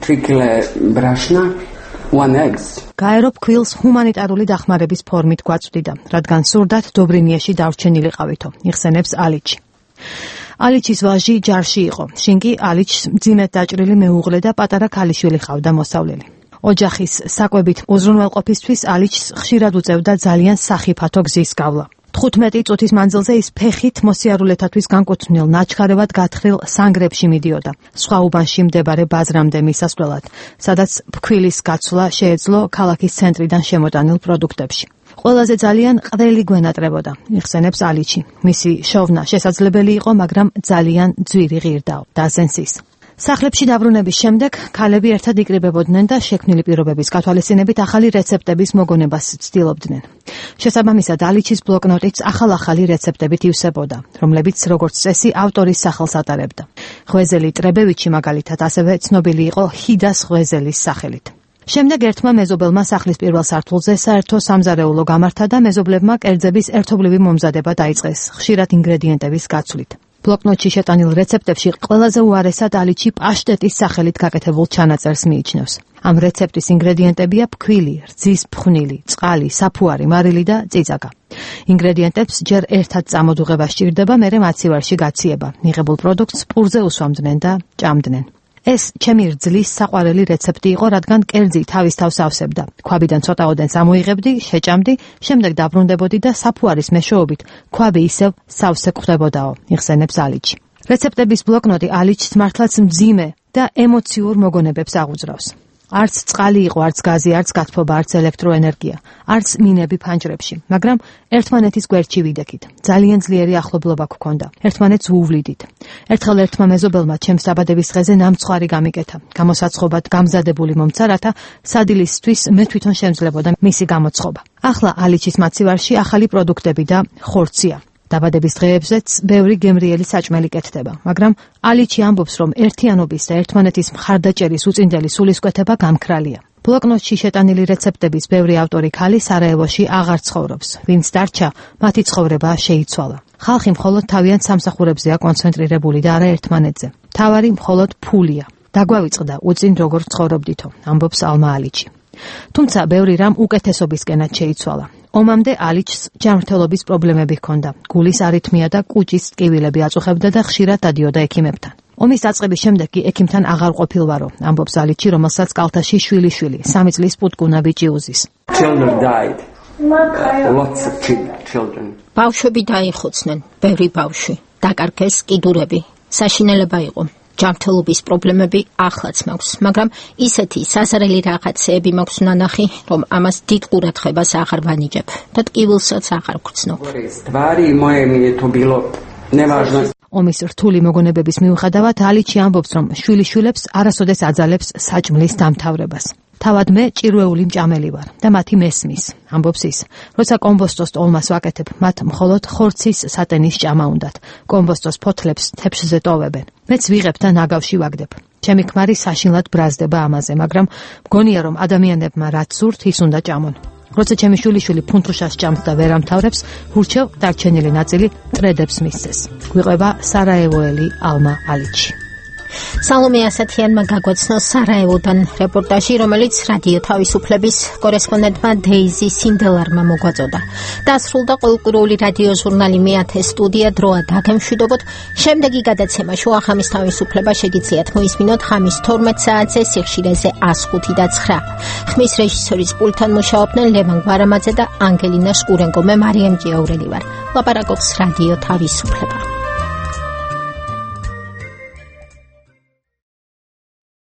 three kile brašna, one eggs. გაერო ფქვილს ჰუმანიტარული დახმარების ფორმით გვაწვდიდა, რადგან სურდათ დობრინიაში დარჩენილიყავითო, იხსენებს ალიჩი. ალიჩის ვაჟი ჯარში იყო. შინ კი ალიჩს მძიმედ დაჭრილი მეუღლე და პატარა ქალიშვილი ჰყავდა მოსავლელი. ოჯახის საკვებით უზრუნველყოფისთვის ალიჩს ხშირად უწევდა ძალიან სახიფათო გზის გავლა. თხუთმეტი წუთის მანძილზე ის ფეხით მოსიარულეთათვის განკუთვნილ ნაჩქარევად გათხრილ სანგრებში მიდიოდა. სხვა უბანში მდებარე ბაზრამდე მისასვლელად, სადაც ფქვილის გაცვლა შეეძლო ქალაქის ცენტრიდან შემოტანილ პროდუქტებში. ყველაზე ძალიან ყველი გვენატრებოდა, იხსენებს ალიჩი. მისი შოვნა შესაძლებელი იყო, მაგრამ ძალიან ძვირი ღირდაო, დასენსის. სახლებში დაბრუნების შემდეგ ქალები ერთად იკრიბებოდნენ და შექმნილი პირობების გათვალისწინებით ახალი რეცეპტების მოგონებას ცდილობდნენ. შესაბამისად, ალიჩის ბლოკნოტიც ახალ-ახალი რეცეპტებით ივსებოდა, რომლებიც როგორც წესი ავტორის სახელს ატარებდა. ღვეზელი ტრებევიჩი მაგალითად ასევე ცნობილი იყო ჰიდას ღვეზელის სახელით. შემდეგ ერთმა მეზობელმა სახლის პირველ სართულზე საერთო სამზარეულო გამართა და მეზობლებმა კერძების ერთობლივი მომზადება დაიწყეს, ხშირად ინგრედიენტების გაცვლით. ბლოკნოტში შეტანილ რეცეპტებში ყველაზე უარესად ალიჩი პაშტეტის სახელით გაკეთებულ ჩანაწერს მიიჩნევს. ამ რეცეპტის ინგრედიენტებია ფქვილი, რძის ფხვნილი, წყალი, საფუარი, მარილი და წიწაკა. ინგრედიენტებს ჯერ ერთად წამოდუღება სჭირდება, მერე მაცივარში გაციება. მიღებულ პროდუქტს პურზე უსვამდნენ და ჭამდნენ. ეს ჩემი რძლის საყვარელი რეცეპტი იყო, რადგან კერძი თავის თავს ავსებდა. ქვაბიდან ცოტა ოდენს ამოიღებდი, შეჭამდი, შემდეგ დაბრუნდებოდი და საფუარის მეშვეობით ქვაბი ისევ სავსე გვხვდებოდაო, იხსენებს ალიჩი. რეცეპტების ბლოკნოტი ალიჩს მართლაც მძიმე და ემოციურ მოგონებებს აღუძრავს. არც წყალი იყო, არც გაზი, არც გათბობა, არც ელექტროენერგია, არც მინები ფანჯრებში, მაგრამ ერთმანეთის გვერდში ვიდექით. ძალიან ძლიერი ახლობლობა გვქონდა. ერთმანეთს ვუვლიდით. ერთხელ ერთმა მეზობელმა ჩემს დაბადების დღეზე ნამცხვარი გამიკეთა. გამოსაცხობად გამზადებული მომცა, რათა სადილისთვის მე თვითონ შემძლებოდა მისი გამოცხობა. ახლა ალიჩის მაცივარში ახალი პროდუქტები და ხორცია. დაბადების დღეებზეც ბევრი გემრიელი საჭმელი კეთდება, მაგრამ ალიჩი ამბობს, რომ ერთიანობის და ერთმანეთის მხარდაჭერის უწინდელი სულისკვეთება გამქრალია. ბლოკნოტში შეტანილი რეცეპტების ბევრი ავტორი ქალი სარაევოში აღარ ცხოვრობს. ვინც დარჩა, მათი ცხოვრება შეიცვალა. ხალხი მხოლოდ თავიანთ სამსახურებზეა კონცენტრირებული და არა ერთმანეთზე. მთავარი მხოლოდ ფულია. დაგვავიწყდა უწინ როგორ ცხოვრობდითო, ამბობს ალმა ალიჩი. თუმცა ბევრი რამ უკეთესობისკენად შეიცვალა. ომამდე ალიჩს ჯანმრთელობის პრობლემები ჰქონდა. გულის არითმია და კუჭის ტკივილები აწუხებდა და ხშირად დადიოდა ექიმებთან. ომის დაწყების შემდეგ კი ექიმთან აღარ ყოფილვარო, ამბობს ალიჩი, რომელსაც კალთაში შვილი-შვილი, სამი წლის პუტკუნა ბიჭი უზის. ბავშვები დაიხოცნენ, ბევრი ბავშვი, დაკარგეს კიდურები, საშინელება იყო. ჯანმრთელობის პრობლემები ახლაც მაქვს, მაგრამ ისეთი საზარელი რაღაცეები მაქვს ნანახი, რომ ამას დიდ ყურადღებას აღარ ვანიჭებ და ტკივილსაც აღარ ვგრძნობ. ომის რთული მოგონებების მიუხედავად ალიჩი ამბობს, რომ შვილიშვილებს არასოდეს აძალებს საჭმლის დამთავრებას. თავად მე ჭირვეული მჭამელი ვარ და მათი მესმის, ამბობს ის. როცა კომბოსტოს ტოლმას ვაკეთებ, მათ მხოლოდ ხორცის სატენის ჭამა უნდათ. კომბოსტოს ფოთლებს თეფშზე ტოვებენ. მეც ვიღებ და ნაგავში ვაგდებ. ჩემი ქმარი საშინლად ბრაზდება ამაზე, მაგრამ მგონია, რომ ადამიანებმა რაც სურთ, ის უნდა ჭამონ. როცა ჩემი შვილიშვილი ფუნთუშას ჭამს და ვერ ამთავრებს, ურჩევ დარჩენილი ნაწილი ტრედებს მისცეს. გვიყვება სარაევოელი ალმა ალიჩი. სალომე ასათიანმა გაგვაცნო სარაევოდან რეპორტაჟი, რომელიც რადიო თავისუფლების კორესპონდენტმა დეიზი სინდელარმა მოგვაწოდა. დასრულდა ყოველკვირეული რადიო ჟურნალი მეათე სტუდია დროა დაგემშვიდობოთ. შემდეგი გადაცემა შუახამის თავისუფლება შეგიძლიათ მოისმინოთ ხამის თორმეტ საათზე სიხშირეზე ას ხუთი და ცხრა. ხმის რეჟისორის პულტთან მუშაობდნენ ლევან გვარამაძე და ანგელინა შკურენკო. მე მარიამ ჭიაურელი ვარ. ლაპარაკობს რადიო თავისუფლება.